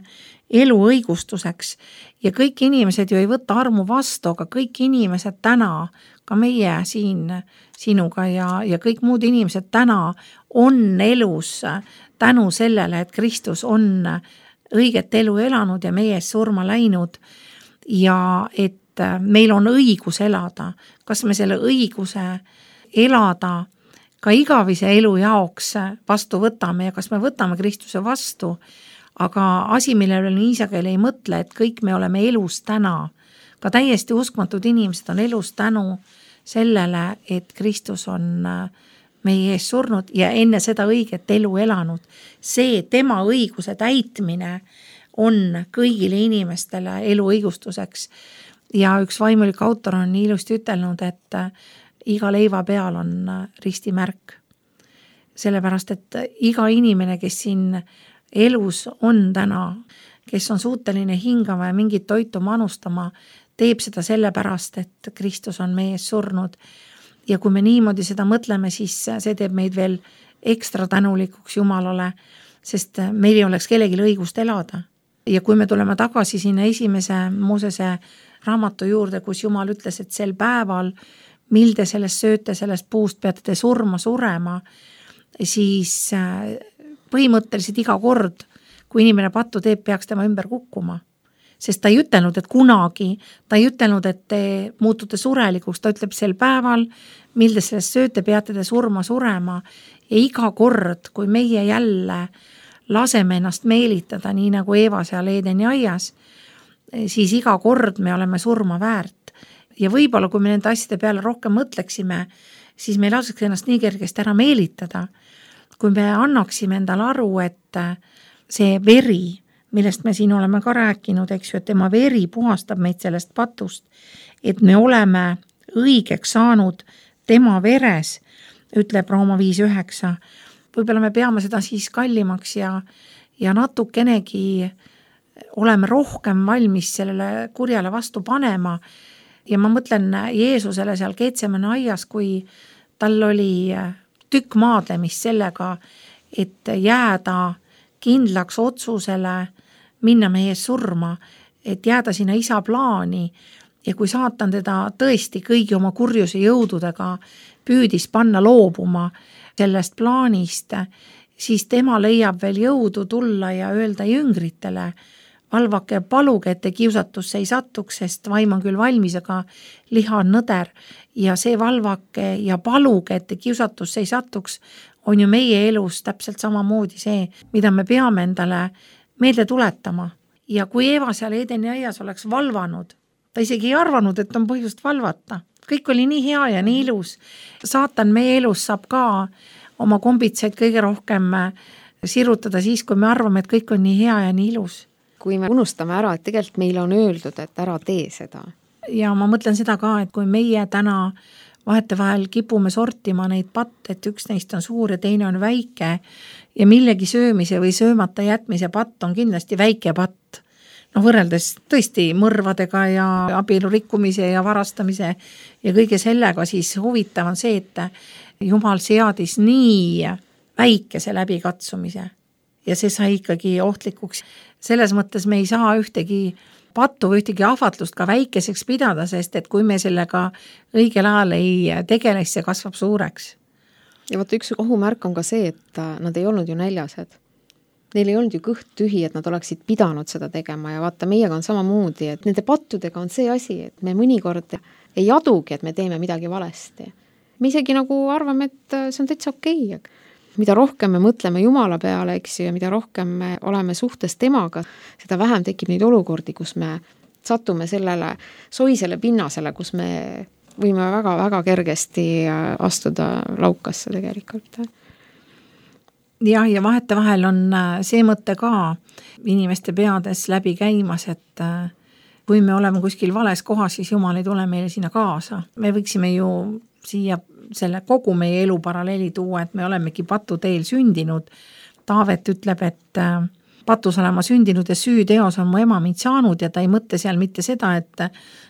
elu õigustuseks ja kõik inimesed ju ei võta armu vastu, aga kõik inimesed täna, ka meie siin sinuga ja, ja kõik muud inimesed täna on elus tänu sellele, et Kristus on õiget elu elanud ja meie ees surma läinud ja et meil on õigus elada. Kas me selle õiguse elada ka igavise elu jaoks vastu võtame ja kas me võtame Kristuse vastu, aga asi, millele nii isageli ei mõtle, et kõik me oleme elus täna. Ka täiesti uskmatud inimesed on elus tänu sellele, et Kristus on meie ees surnud ja enne seda õiget elu elanud. See tema õiguse täitmine on kõigile inimestele elu õigustuseks. Ja üks vaimulik autor on nii ilusti ütelnud, et iga leiva peal on ristimärk. Sellepärast, et iga inimene, kes siin elus on täna, kes on suuteline hingama ja mingit toitu manustama, teeb seda sellepärast, et Kristus on meie ees surnud. Ja kui me niimoodi seda mõtleme, siis see teeb meid veel ekstra tänulikuks Jumalale, sest meil ei oleks kellelgi õigust elada. Ja kui me tuleme tagasi sinna esimese Moosese raamatu juurde, kus Jumal ütles, et sel päeval, mil te sellest sööte, sellest puust peate te surma surema, siis põhimõtteliselt iga kord, kui inimene pattu teeb, peaks tema ümber kukkuma. Sest ta ei ütelnud, et kunagi, ta ei ütelnud, et te muutute surelikuks, ta ütleb sel päeval, mil te sellest sööte, peate te surma surema ja iga kord, kui meie jälle laseme ennast meelitada, nii nagu Eeva seal Eedeni aias, siis iga kord me oleme surma väärt. Ja võib-olla, kui me nende asjade peale rohkem mõtleksime, siis me ei laseks ennast nii kergesti ära meelitada. Kui me annaksime endale aru, et see veri, millest me siin oleme ka rääkinud, eks ju, et tema veri puhastab meid sellest patust, et me oleme õigeks saanud tema veres, ütleb Rooma viis üheksa. Võib-olla me peame seda siis kallimaks ja, ja natukenegi oleme rohkem valmis sellele kurjale vastu panema. Ja ma mõtlen Jeesusele seal Getsemane aias, kui tal oli tükk maadlemist sellega, et jääda kindlaks otsusele minna meie surma, et jääda sinna isa plaani ja kui saatan teda tõesti kõigi oma kurjuse jõududega püüdis panna loobuma sellest plaanist, siis tema leiab veel jõudu tulla ja öelda jüngritele, valvake ja paluge, et te kiusatusse ei satuks, sest vaim on küll valmis, aga liha on nõder ja see valvake ja paluge, et te kiusatusse ei satuks, on ju meie elus täpselt samamoodi see, mida me peame endale meelde tuletama. Ja kui Eeva seal Eedeni aias oleks valvanud, ta isegi ei arvanud, et on põhjust valvata. Kõik oli nii hea ja nii ilus. Saatan meie elus saab ka oma kombitseid kõige rohkem sirutada siis, kui me arvame, et kõik on nii hea ja nii ilus. Kui me unustame ära, et tegelikult meile on öeldud, et ära tee seda. Ja ma mõtlen seda ka, et kui meie täna vahetevahel kipume sortima neid patte, et üks neist on suur ja teine on väike ja millegi söömise või söömata jätmise patt on kindlasti väike patt. No võrreldes tõesti mõrvadega ja abielu rikkumise ja varastamise ja kõige sellega, siis huvitav on see, et Jumal seadis nii väikese läbikatsumise ja see sai ikkagi ohtlikuks. Selles mõttes me ei saa ühtegi pattu või ühtegi ahvatlust ka väikeseks pidada, sest et kui me sellega õigel ajal ei tegeles, see kasvab suureks. Ja vaata, üks ohumärk on ka see, et nad ei olnud ju näljased. Neil ei olnud ju kõht tühi, et nad oleksid pidanud seda tegema ja vaata, meiega on samamoodi, et nende pattudega on see asi, et me mõnikord ei adugi, et me teeme midagi valesti. Me isegi nagu arvame, et see on täitsa okei. Mida rohkem me mõtleme Jumala peale, eks ju, ja mida rohkem me oleme suhtes temaga, seda vähem tekib neid olukordi, kus me satume sellele soisele pinnasele, kus me võime väga-väga kergesti astuda laukasse tegelikult. Jah, ja vahetevahel on see mõte ka inimeste peades läbi käimas, et kui me oleme kuskil vales kohas, siis Jumal ei tule meile sinna kaasa. Me võiksime ju siia selle kogu meie elu paralleeli tuua, et me olemegi patu teel sündinud. Taavet ütleb, et patus olema sündinud ja süüteos on mu ema mind saanud ja ta ei mõtle seal mitte seda, et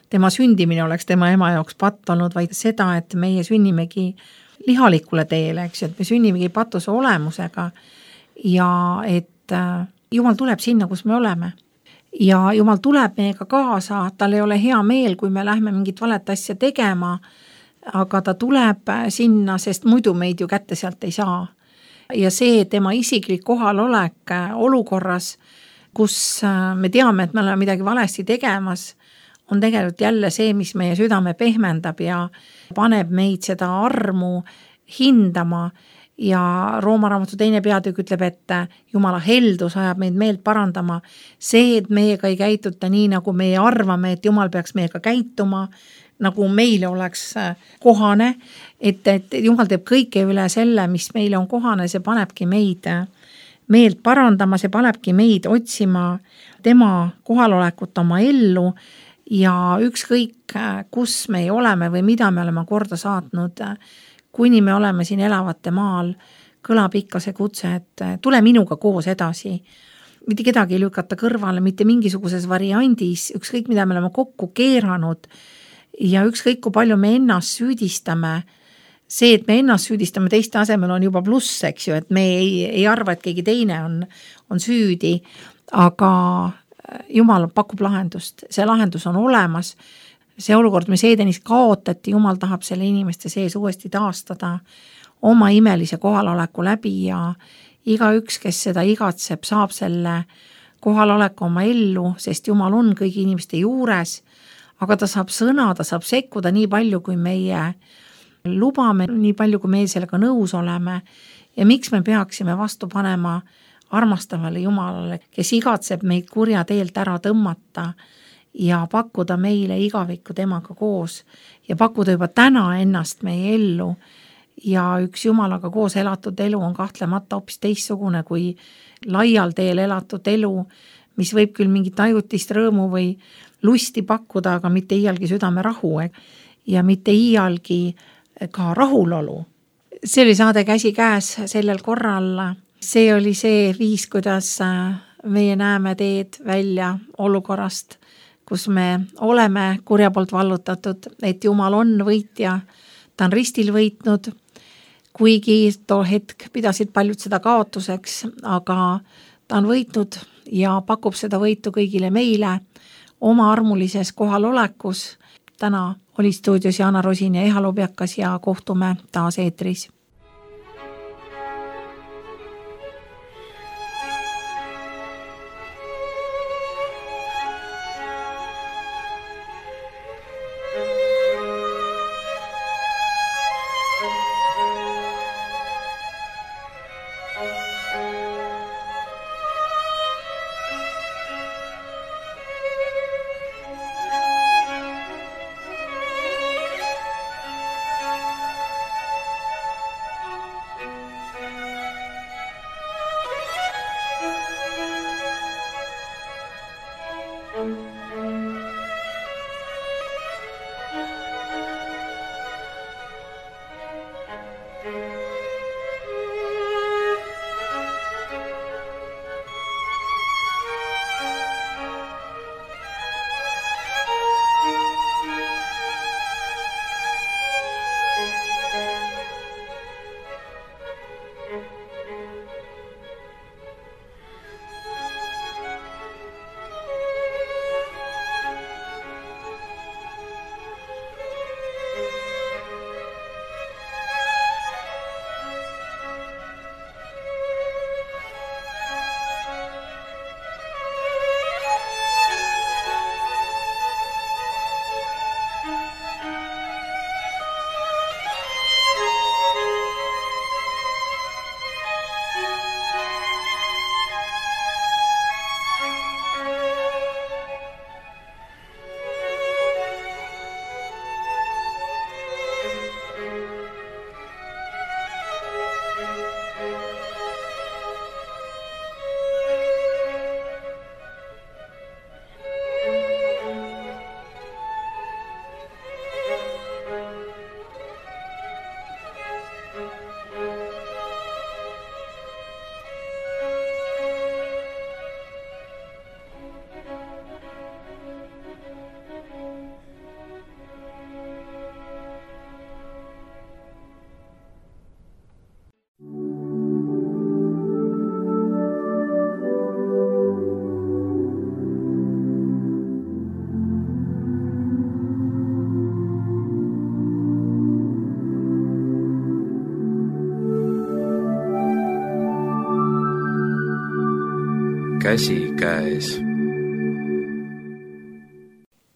tema sündimine oleks tema ema jaoks patt olnud, vaid seda, et meie sünnimegi lihalikule teele, eks ju, et me sünnimegi patuse olemusega ja et Jumal tuleb sinna, kus me oleme. ja Jumal tuleb meiega kaasa, tal ei ole hea meel, kui me lähme mingit valet asja tegema, aga ta tuleb sinna, sest muidu meid ju kätte sealt ei saa. Ja see tema isiklik kohalolek olukorras, kus me teame, et me oleme midagi valesti tegemas, on tegelikult jälle see, mis meie südame pehmendab ja paneb meid seda armu hindama. Ja Rooma raamatu teine peatükk ütleb, et Jumala heldus ajab meid meelt parandama. See, et meiega ei käituta nii, nagu meie arvame, et Jumal peaks meiega käituma, nagu meile oleks kohane, et, et Jumal teeb kõike üle selle, mis meile on kohane, see panebki meid meelt parandama, see panebki meid otsima tema kohalolekut oma ellu ja ükskõik, kus me oleme või mida me oleme korda saatnud, kuni me oleme siin elavate maal, kõlab ikka see kutse, et tule minuga koos edasi. Mitte kedagi ei lükata kõrvale, mitte mingisuguses variandis, ükskõik mida me oleme kokku keeranud ja ükskõik kui palju me ennast süüdistame. See, et me ennast süüdistame teiste asemel on juba pluss, eks ju, et me ei, ei arva, et keegi teine on, on süüdi, aga Jumal pakub lahendust, see lahendus on olemas. See olukord, mis Edenis kaotati, Jumal tahab selle inimeste sees uuesti taastada oma imelise kohaloleku läbi ja iga üks, kes seda igatseb, saab selle kohaloleku oma ellu, sest Jumal on kõigi inimeste juures, aga ta saab sõna, ta saab sekkuda nii palju, kui meie lubame, nii palju, kui meie sellega nõus oleme ja miks me peaksime vastu panema armastavale Jumalale, kes igatseb meid kurja teelt ära tõmmata ja pakkuda meile igavikku temaga koos ja pakkuda juba täna ennast meie ellu ja üks Jumalaga koos elatud elu on kahtlemata hoopis teistsugune kui laial teel elatud elu, mis võib küll mingit ajutist rõõmu või lusti pakkuda, aga mitte iialgi südame rahu ja mitte iialgi ka rahulolu. See oli saade Käsi käes sellel korral. See oli see viis, kuidas meie näeme teed välja olukorrast, kus me oleme kurja poolt vallutatud, et Jumal on võitja, ta on ristil võitnud, kuigi too hetk pidasid paljud seda kaotuseks, aga ta on võitnud ja pakub seda võitu kõigile meile oma armulises kohalolekus. Täna oli stuudios Jaana Rosin ja Eha Lobjakas ja kohtume taas eetris. käsikäes.